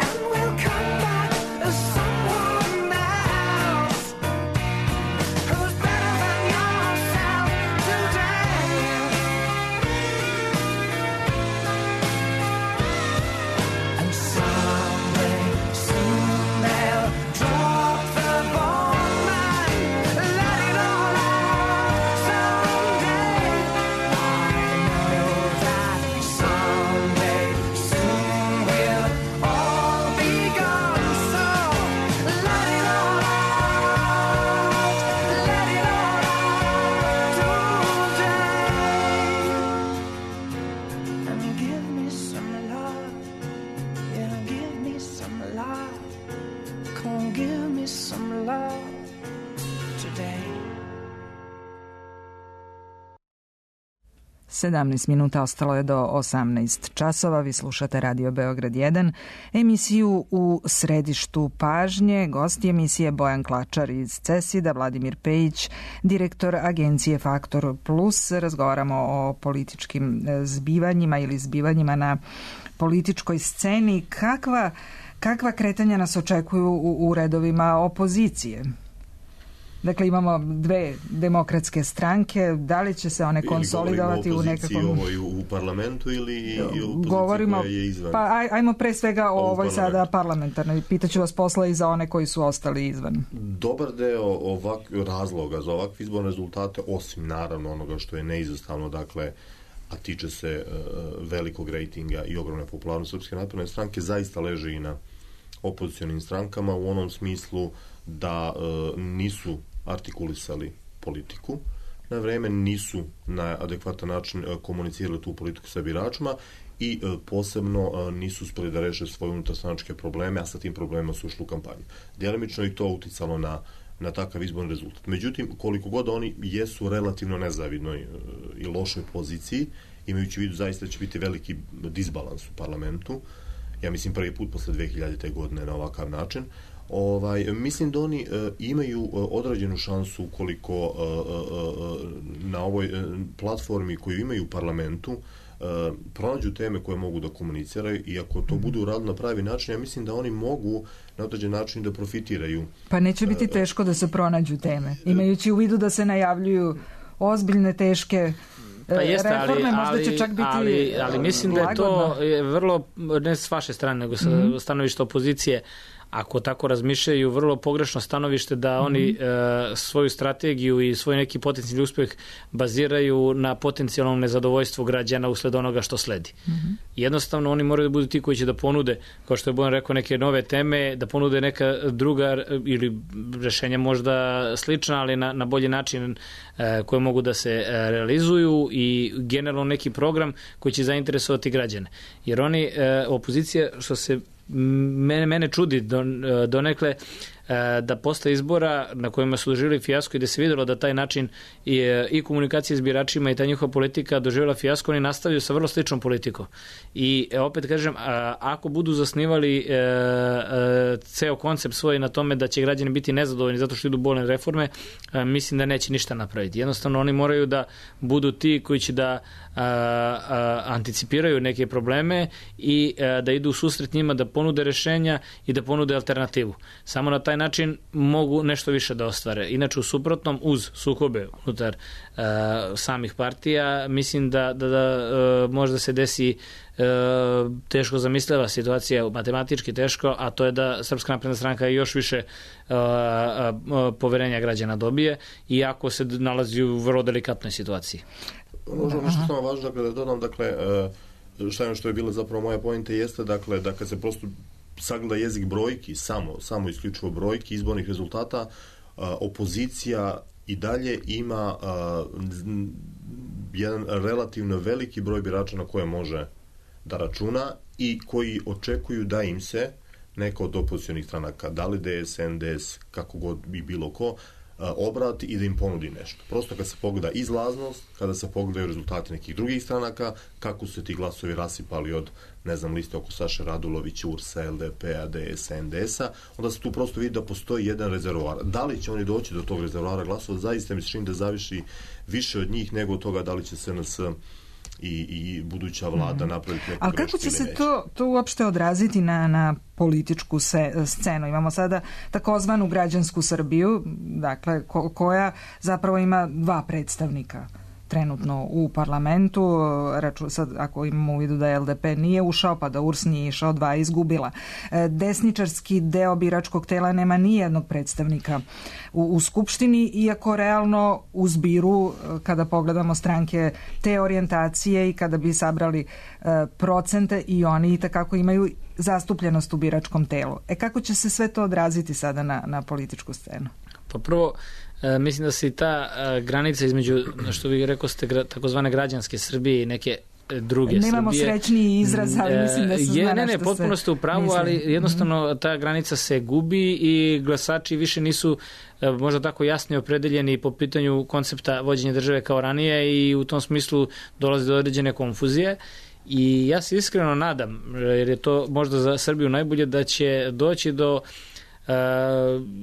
and we'll come back as someone else who's better than yourself today. And someday, soon they'll drop the bomb and let it all out. Someday, I know that someday, soon we'll all be gone. So let it all out, let it all out today. And give me some love. Yeah, give me some love. Come on, give me some love today. sedamnaest minuta ostalo je do osamnaest časova. Vi slušate Radio Beograd jedan, emisiju U središtu pažnje. Gosti emisije Bojan Klačar iz CESID-a, Vladimir Pejić, direktor agencije Faktor Plus. Razgovaramo o političkim zbivanjima ili zbivanjima na političkoj sceni. Kakva, kakva kretanja nas očekuju u, u redovima opozicije? Dakle, imamo dve demokratske stranke, da li će se one konsolidovati u nekakvom... Ili govorimo o opoziciji ovoj u parlamentu ili i opoziciji govorimo, koja je izvan? Pa aj, ajmo pre svega o ovoj sada parlamentarnoj. Pitaću vas posla i za one koji su ostali izvan. Dobar deo ovak, razloga za ovakve izborne rezultate, osim naravno onoga što je neizostavno, dakle, a tiče se uh, velikog rejtinga i ogromne popularnosti Srpske napredne stranke, zaista leži i na opozicionim strankama u onom smislu da e, nisu artikulisali politiku na vreme, nisu na adekvatan način e, komunicirali tu politiku sa biračima i e, posebno e, nisu uspeli da reše svoje unutarstranačke probleme, a sa tim problemima su ušli u kampanju. Djelimično i to uticalo na na takav izborni rezultat. Međutim, koliko god oni jesu relativno nezavidnoj i lošoj poziciji, imajući u vidu zaista da će biti veliki disbalans u parlamentu, ja mislim prvi put posle dve hiljadite. godine na ovakav način, ovaj, mislim da oni e, imaju određenu šansu ukoliko e, e, na ovoj e, platformi koju imaju u parlamentu e, pronađu teme koje mogu da komuniciraju i ako to budu uradili na pravi način, ja mislim da oni mogu na određen način da profitiraju. Pa neće biti teško da se pronađu teme, imajući u vidu da se najavljuju ozbiljne, teške pa jeste, reforme, ali, možda će čak biti ali, ali mislim lagodno. Da je to je vrlo, ne s vaše strane, nego sa mm-hmm. stanovišta opozicije, ako tako razmišljaju, vrlo pogrešno stanovište da oni mm-hmm. e, svoju strategiju i svoj neki potencijalni uspjeh baziraju na potencijalnom nezadovoljstvu građana usled onoga što sledi. Mm-hmm. Jednostavno, oni moraju da budu ti koji će da ponude, kao što je Bojan rekao, neke nove teme, da ponude neka druga ili rešenja možda slična, ali na, na bolji način e, koje mogu da se e, realizuju i generalno neki program koji će zainteresovati građane. Jer oni, e, opozicija, što se Mene, mene čudi donekle da posle izbora na kojima su doživjeli fijasko i da se vidjelo da taj način i, i komunikacije s biračima i ta njihova politika doživjela fijasko, oni nastavljaju sa vrlo sličnom politikom. I opet kažem, ako budu zasnivali e, e, ceo koncept svoj na tome da će građani biti nezadovoljni zato što idu bolne reforme, e, mislim da neće ništa napraviti. Jednostavno oni moraju da budu ti koji će da a, a, anticipiraju neke probleme i a, da idu u susret njima, da ponude rešenja i da ponude alternativu. Samo na taj način mogu nešto više da ostvare. Inače, u suprotnom, uz sukobe unutar uh, samih partija, mislim da, da, da uh, možda se desi uh, teško zamisliva situacija, matematički teško, a to je da Srpska napredna stranka još više uh, uh, poverenja građana dobije, iako se nalazi u vrlo delikatnoj situaciji. Možda nešto samo važno, dakle, da dodam, dakle, uh, šta je što je bila zapravo moja pojenta jeste, dakle, da kad se prosto sagleda jezik brojki, samo, samo isključivo brojki, izbornih rezultata, uh, opozicija i dalje ima uh, jedan relativno veliki broj birača na koje može da računa i koji očekuju da im se neka od opozicionih stranaka, da li D S, N D S, kako god bi bilo ko, obrati i da im ponudi nešto. Prosto kad se pogleda izlaznost, kada se pogledaju rezultati nekih drugih stranaka, kako su se ti glasovi rasipali od, ne znam, liste oko Saše Radulovića, U R S-a, L D P-a, D S-a, N D S-a, onda se tu prosto vidi da postoji jedan rezervoar. Da li će oni doći do tog rezervoara glasova, zaista mi se čini da zaviši više od njih nego od toga da li će se nas i, i buduća vlada mm. napraviti neku ali kako će se to, to uopšte odraziti na, na političku se, scenu? Imamo sada takozvanu građansku Srbiju, dakle, ko, koja zapravo ima dva predstavnika trenutno u parlamentu, raču, sad ako imamo u vidu da L D P nije ušao, pa da U R S nije išao, dva izgubila. Desničarski deo biračkog tela nema nijednog predstavnika u, u Skupštini, iako realno u zbiru, kada pogledamo stranke te orijentacije i kada bi sabrali e, procente, i oni i takako imaju zastupljenost u biračkom telu. E kako će se sve to odraziti sada na, na političku scenu? Pa prvo, e, mislim da se i ta e, granica između, što vi rekao ste, gra, takozvane građanske Srbije i neke druge Nemamo Srbije. Nemamo srećniji izraz, ali mislim da se zna je, ne, ne, što potpuno ste u pravu, mislim. ali jednostavno ta granica se gubi i glasači više nisu e, možda tako jasni opredeljeni po pitanju koncepta vođenja države kao ranije i u tom smislu dolazi do određene konfuzije. I ja se iskreno nadam, jer je to možda za Srbiju najbolje, da će doći do Uh,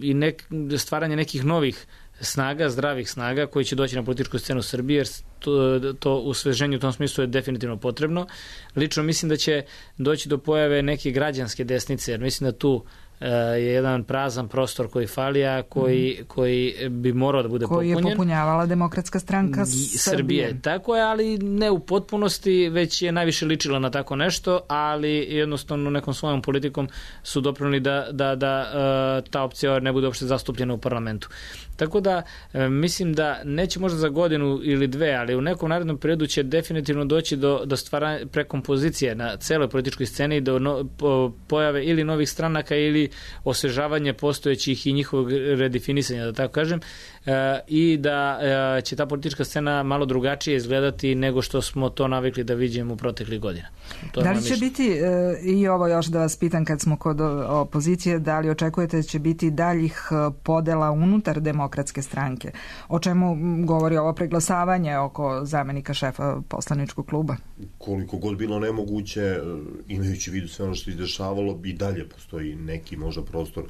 i nek, stvaranje nekih novih snaga, zdravih snaga koji će doći na političku scenu Srbije, jer to, to usveženje u tom smislu je definitivno potrebno. Lično mislim da će doći do pojave neke građanske desnice, jer mislim da tu je jedan prazan prostor koji fali, a koji, mm. koji bi morao da bude koji popunjen. Koji je popunjavala Demokratska stranka Srbije. Srbije. Tako je, ali ne u potpunosti, već je najviše ličila na tako nešto, ali jednostavno nekom svojom politikom su doprinuli da, da, da ta opcija ne bude uopšte zastupljena u parlamentu. Tako da mislim da neće možda za godinu ili dve, ali u nekom narednom periodu će definitivno doći do, do stvaranja prekompozicije na celoj političkoj sceni, do no, po, pojave ili novih stranaka ili osvežavanje postojećih i njihovog redefinisanja, da tako kažem, e, i da e, će ta politička scena malo drugačije izgledati nego što smo to navikli da vidimo u proteklih godina. To da li će biti, e, i ovo još da vas pitam kad smo kod opozicije, da li očekujete da će biti daljih podela unutar Demokratske stranke? O čemu govori ovo preglasavanje oko zamenika šefa poslaničkog kluba? Koliko god bilo nemoguće, imajući vidu sve ono što se dešavalo, i dalje postoji neki možda prostor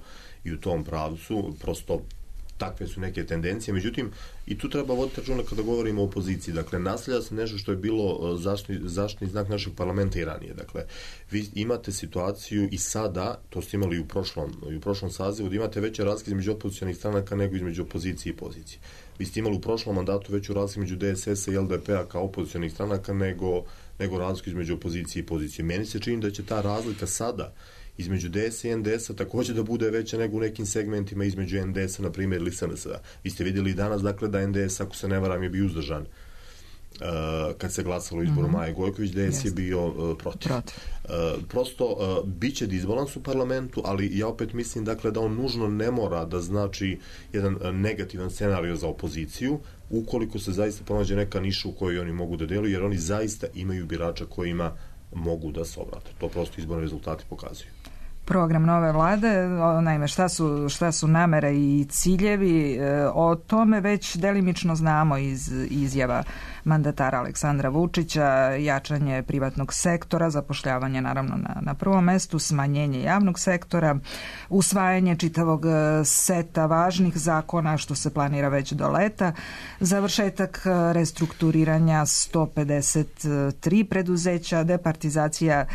i u tom pravcu, prosto takve su neke tendencije, međutim i tu treba voditi računa kada govorimo o opoziciji, dakle nasljeđa se nešto što je bilo zaštitni, zaštitni znak našeg parlamenta i ranije, dakle vi imate situaciju i sada, to ste imali i u prošlom, i u prošlom sazivu, da imate veće razlike između opozicionih stranaka nego između opozicije i pozicije. Vi ste imali u prošlom mandatu veću razliku između D S S-a i L D P-a kao opozicionih stranaka nego, nego razliku između opozicije i pozicije. Meni se čini da će ta razlika sada između D S i N D S-a također da bude veća nego u nekim segmentima između N D S-a, na primjer, ili S N S-a. Vi ste vidjeli danas, dakle, da N D S, ako se ne varam, je bio uzdržan uh, kad se glasalo u izboru mm-hmm. Maje Gojković, D S yes. je bio uh, protiv. protiv. Uh, prosto, uh, bit će disbalans u parlamentu, ali ja opet mislim, dakle, da on nužno ne mora da znači jedan uh, negativan scenario za opoziciju, ukoliko se zaista pronađe neka niša u kojoj oni mogu da deluju, jer oni zaista imaju birača kojima mogu da se obrate. To prosto izborni rezultati pokazuju. Program nove vlade, naime šta su, šta su namere i ciljevi, o tome već delimično znamo iz izjava mandatara Aleksandra Vučića, jačanje privatnog sektora, zapošljavanje naravno na, na prvom mestu, smanjenje javnog sektora, usvajanje čitavog seta važnih zakona što se planira već do leta, završetak restrukturiranja sto pedeset tri preduzeća, departizacija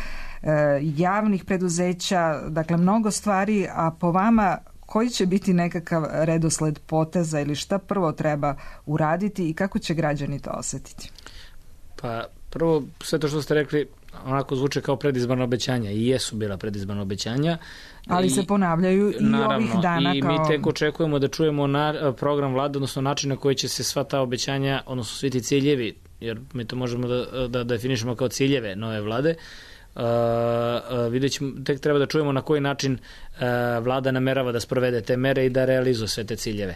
javnih preduzeća, dakle mnogo stvari, a po vama koji će biti nekakav redosled poteza ili šta prvo treba uraditi i kako će građani to osjetiti? Pa prvo, sve to što ste rekli onako zvuče kao predizborna obećanja i jesu bila predizborna obećanja. Ali I, se ponavljaju i naravno, ovih dana. I kao... mi tek očekujemo da čujemo na, program vlade, odnosno način na koji će se sva ta obećanja, odnosno svi ti ciljevi, jer mi to možemo da, da definišemo kao ciljeve nove vlade, Uh, uh, vidjet ćemo, tek treba da čujemo na koji način uh, vlada namerava da sprovede te mere i da realizuje sve te ciljeve.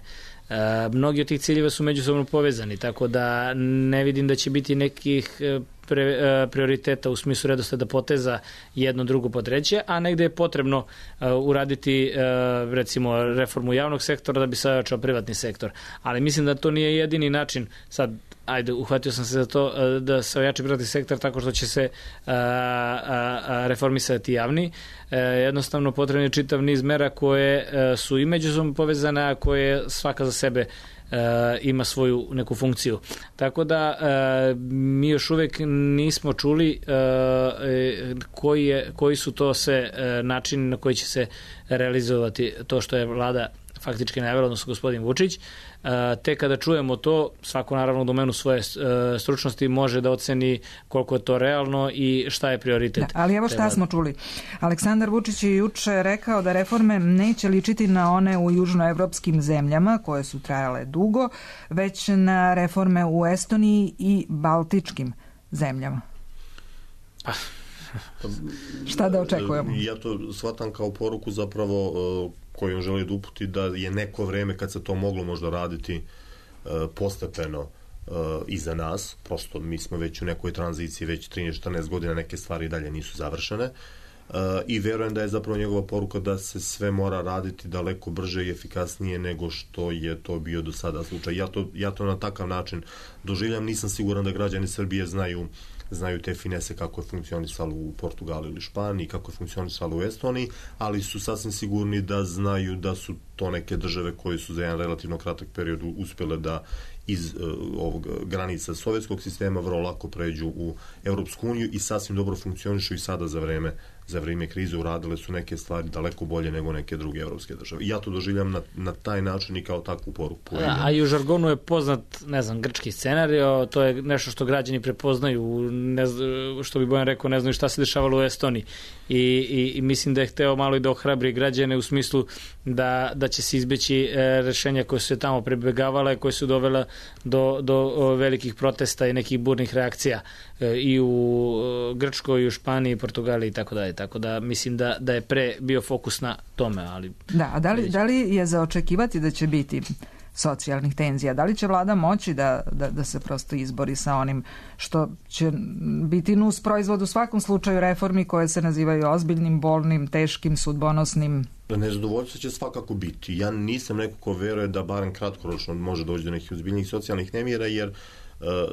Uh, mnogi od tih ciljeva su međusobno povezani, tako da ne vidim da će biti nekih pre, uh, prioriteta u smislu redosleda poteza jedno, drugo, po treće, a negde je potrebno uh, uraditi uh, recimo reformu javnog sektora da bi se ojačao privatni sektor. Ali mislim da to nije jedini način. Sad ajde, uhvatio sam se za to da se ojača privatni sektor tako što će se a, a, a, reformisati javni. E, jednostavno potrebno je čitav niz mera koje a, su i međusobno povezane, a koje svaka za sebe a, ima svoju neku funkciju. Tako da a, mi još uvek nismo čuli a, koji, je, koji su to sve a, načini na koji će se realizovati to što je vlada faktički najavila, odnosno gospodin Vučić. Te kada čujemo to, svako naravno u domenu svoje stručnosti može da oceni koliko je to realno i šta je prioritet. Da, ali evo šta smo čuli. Aleksandar Vučić je juče rekao da reforme neće ličiti na one u južnoevropskim zemljama koje su trajale dugo, već na reforme u Estoniji i baltičkim zemljama. Pa... Šta da očekujemo? Ja to shvatam kao poruku zapravo koju on želi da uputi da je neko vreme kad se to moglo možda raditi postepeno iza nas. Prosto mi smo već u nekoj tranziciji, već trinaest četrnaest godina, neke stvari dalje nisu završene. I verujem da je zapravo njegova poruka da se sve mora raditi daleko brže i efikasnije nego što je to bio do sada slučaj. Ja to, ja to na takav način doživljam. Nisam siguran da građani Srbije znaju znaju te finese kako je funkcionisalo u Portugalu ili Španiji, kako je funkcionisalo u Estoniji, ali su sasvim sigurni da znaju da su to neke države koje su za jedan relativno kratak period uspjele da iz uh, ovog granica sovjetskog sistema vrlo lako pređu u Europsku uniju i sasvim dobro funkcionišu i sada za vreme za vrijeme krize uradile su neke stvari daleko bolje nego neke druge evropske države. I ja to doživljam na, na taj način i kao takvu poruku. A, a i u žargonu je poznat, ne znam, grčki scenario, to je nešto što građani prepoznaju, ne zna, što bi Bojan rekao, ne znaju šta se dešavalo u Estoniji. I, i, i mislim da je hteo malo i da ohrabri građane u smislu da, da će se izbeći e, rešenja koje su se tamo prebegavale, koje su dovela do, do o, velikih protesta i nekih burnih reakcija e, i u o, Grčkoj, i u Španiji, Portugaliji i tako dalje. Tako da mislim da, da je pre bio fokus na tome. Ali da, a da li, da li je za očekivati da će biti socijalnih tenzija? Da li će vlada moći da, da, da se prosto izbori sa onim što će biti nus proizvod u svakom slučaju reformi koje se nazivaju ozbiljnim, bolnim, teškim, sudbonosnim? Nezadovoljstvo će svakako biti. Ja nisam neko ko veruje da barem kratkoročno može doći do nekih ozbiljnih socijalnih nemira, jer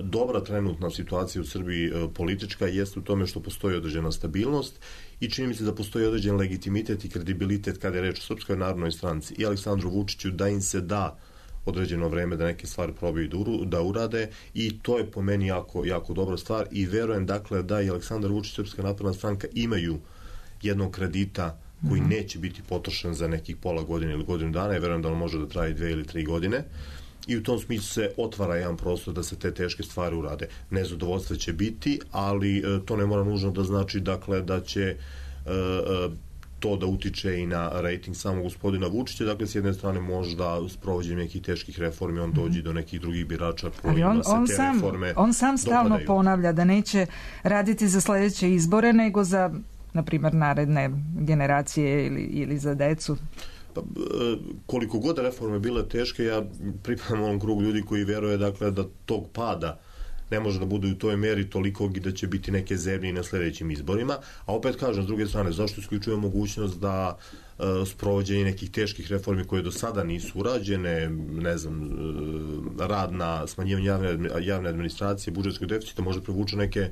dobra trenutna situacija u Srbiji politička jeste u tome što postoji određena stabilnost i čini mi se da postoji određen legitimitet i kredibilitet kada je reč o Srpskoj narodnoj stranci i Aleksandru Vučiću da im se da određeno vreme da neke stvari probaju da urade i to je po meni jako, jako dobra stvar i verujem dakle da i Aleksandar Vučić i Srpska napredna stranka imaju jednog kredita koji mm-hmm. neće biti potrošen za nekih pola godine ili godinu dana i verujem da on može da traje dve ili tri godine. I u tom smislu se otvara jedan prostor da se te teške stvari urade. Nezadovoljstva će biti, ali e, to ne mora nužno da znači dakle da će e, e, to da utiče i na rejting samog gospodina Vučića. Dakle, s jedne strane možda s provođenjem nekih teških reformi on dođe mm-hmm. do nekih drugih birača kojima on, se on te sam, reforme on sam stalno dopadaju. Ponavlja da neće raditi za sledeće izbore, nego za, na primjer, naredne generacije ili, ili za decu. Pa, koliko god reforme bile teške, ja pripadam onom krugu ljudi koji veruje dakle, da tog pada ne može da bude u toj meri toliko i da će biti neke zemlje i na sljedećim izborima. A opet kažem, s druge strane, zašto isključuje mogućnost da uh, sprovođenje nekih teških reformi koje do sada nisu urađene, ne znam, uh, rad na smanjivanje javne, javne administracije, budžetskog deficita, može privući neke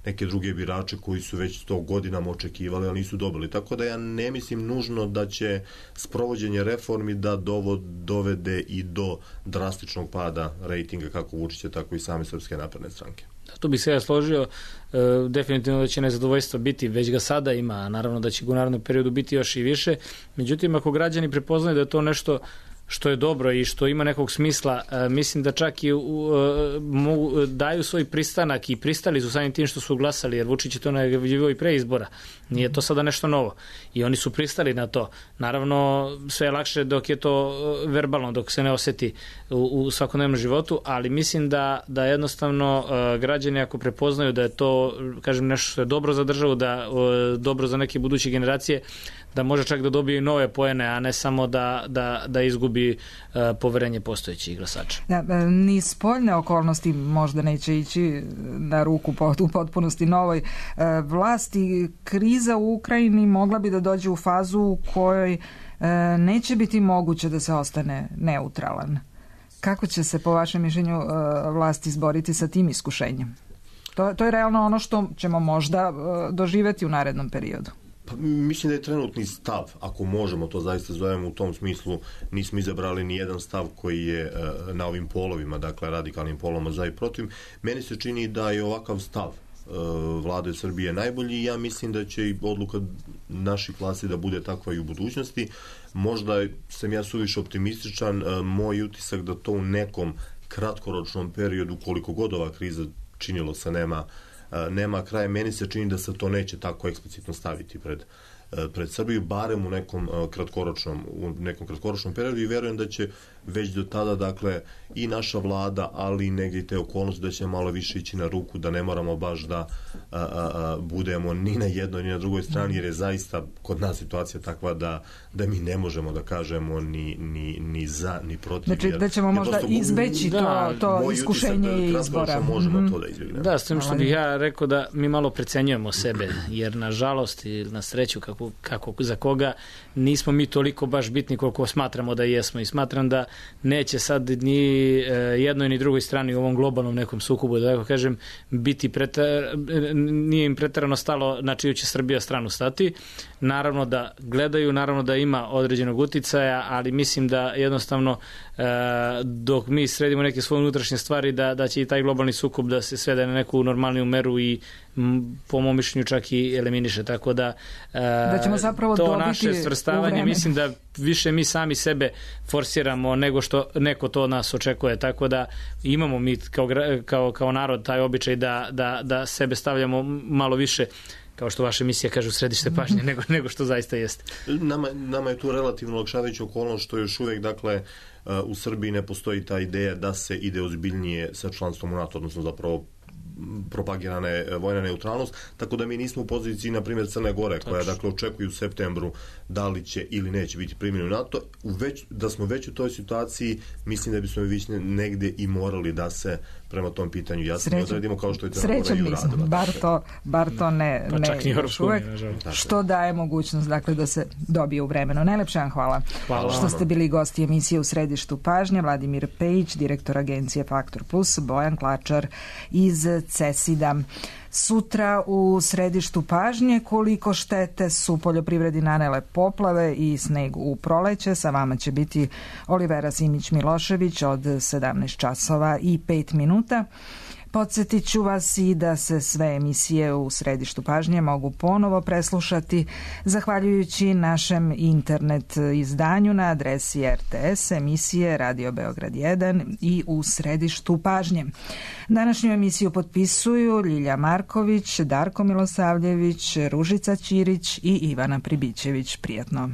neke druge birače koji su već to godinama očekivali, ali nisu dobili. Tako da ja ne mislim nužno da će sprovođenje reformi da dovo, dovede i do drastičnog pada rejtinga kako Vučića, tako i same Srpske napredne stranke. Da, tu bih se ja složio, e, definitivno da će nezadovoljstvo biti, već ga sada ima, a naravno da će u narednom periodu biti još i više. Međutim, ako građani prepoznaju da je to nešto što je dobro i što ima nekog smisla, e, mislim da čak i u, e, mogu, daju svoj pristanak i pristali su samim tim što su glasali, jer Vučić je to najavljivao i pre izbora. Nije to sada nešto novo. I oni su pristali na to. Naravno, sve je lakše dok je to verbalno, dok se ne oseti u, u svakodnevnom životu, ali mislim da, da jednostavno e, građani ako prepoznaju da je to, kažem, nešto što je dobro za državu, da e, dobro za neke buduće generacije, da može čak da dobije nove poene, a ne samo da, da, da izgubi uh, poverenje postojećih glasača. Da, ni spoljne okolnosti možda neće ići na ruku u potpunosti novoj uh, vlasti. Kriza u Ukrajini mogla bi da dođe u fazu u kojoj uh, neće biti moguće da se ostane neutralan. Kako će se po vašem mišljenju uh, vlast izboriti sa tim iskušenjem? To, to je realno ono što ćemo možda uh, doživeti u narednom periodu. Pa, mislim da je trenutni stav, ako možemo to zaista zovemo u tom smislu, nismo izabrali ni jedan stav koji je uh, na ovim polovima, dakle radikalnim polovima za i protiv. Meni se čini da je ovakav stav uh, vlade Srbije najbolji i ja mislim da će i odluka naših vlasti da bude takva i u budućnosti. Možda sam ja suviše optimističan, uh, moj utisak da to u nekom kratkoročnom periodu, koliko god ova kriza činilo se nema nema kraja, meni se čini da se to neće tako eksplicitno staviti pred, pred Srbiju, barem u nekom kratkoročnom, u nekom kratkoročnom periodu i verujem da će već do tada, dakle, i naša vlada, ali i negdje i te okolnosti da će malo više ići na ruku, da ne moramo baš da a, a, a, budemo ni na jednoj ni na drugoj strani, jer je zaista kod nas situacija takva da, da mi ne možemo da kažemo ni, ni, ni za, ni protiv. Znači jer, da ćemo možda izbeći da, to, to iskušenje da, izbora. Možemo mm-hmm. to da izbjegnemo. Da, s tim što bih ja rekao da mi malo precenjujemo sebe, jer na žalost i na sreću kako, kako za koga nismo mi toliko baš bitni koliko smatramo da jesmo i smatram da neće sad ni jednoj ni drugoj strani u ovom globalnom nekom sukobu, da tako kažem, biti pretar, nije im pretarano stalo na čiju će Srbija stranu stati. naravno da gledaju, naravno da ima određenog uticaja, ali mislim da jednostavno e, dok mi sredimo neke svoje unutrašnje stvari, da, da će i taj globalni sukob da se svede na neku normalniju meru i m, po mom mišljenju čak i eliminiše, tako da, e, da ćemo zapravo to dobiti naše svrstavanje, mislim da više mi sami sebe forsiramo nego što neko to od nas očekuje, tako da imamo mi kao, kao, kao narod taj običaj da, da, da sebe stavljamo malo više, kao što vaša emisija kaže, u središte pažnje, nego, nego što zaista jeste. Nama, nama je tu relativno olakšavajuća okolnost što još uvijek, dakle, u Srbiji ne postoji ta ideja da se ide ozbiljnije sa članstvom u NATO, odnosno zapravo propagirana je vojna neutralnost, tako da mi nismo u poziciji, na primjer, Crne Gore, koja, dakle, očekuju u septembru da li će ili neće biti primljeni u NATO. U već, da smo već u toj situaciji, mislim da bismo već negde i morali da se prema tom pitanju jasno odredimo, kao što je Crna Gora i uradila. Bar to, bar to ne, pa ne još uvek, što daje mogućnost, dakle, da se dobije u vremenu. Najlepše vam hvala, hvala što ste bili gosti emisije U središtu pažnje. Vladimir Pejić, direktor agencije Faktor Plus, Bojan Klačar iz CESID-a. Sutra u središtu pažnje koliko štete su poljoprivredi nanele poplave i sneg u proleće. Sa vama će biti Olivera Simić-Milošević od sedamnaest časova i pet minuta. Podsjetit ću vas i da se sve emisije u središtu pažnje mogu ponovo preslušati zahvaljujući našem internet izdanju na adresi R T S, emisije Radio Beograd jedan i U središtu pažnje. Današnju emisiju potpisuju Ljilja Marković, Darko Milosavljević, Ružica Ćirić i Ivana Pribićević. Prijatno.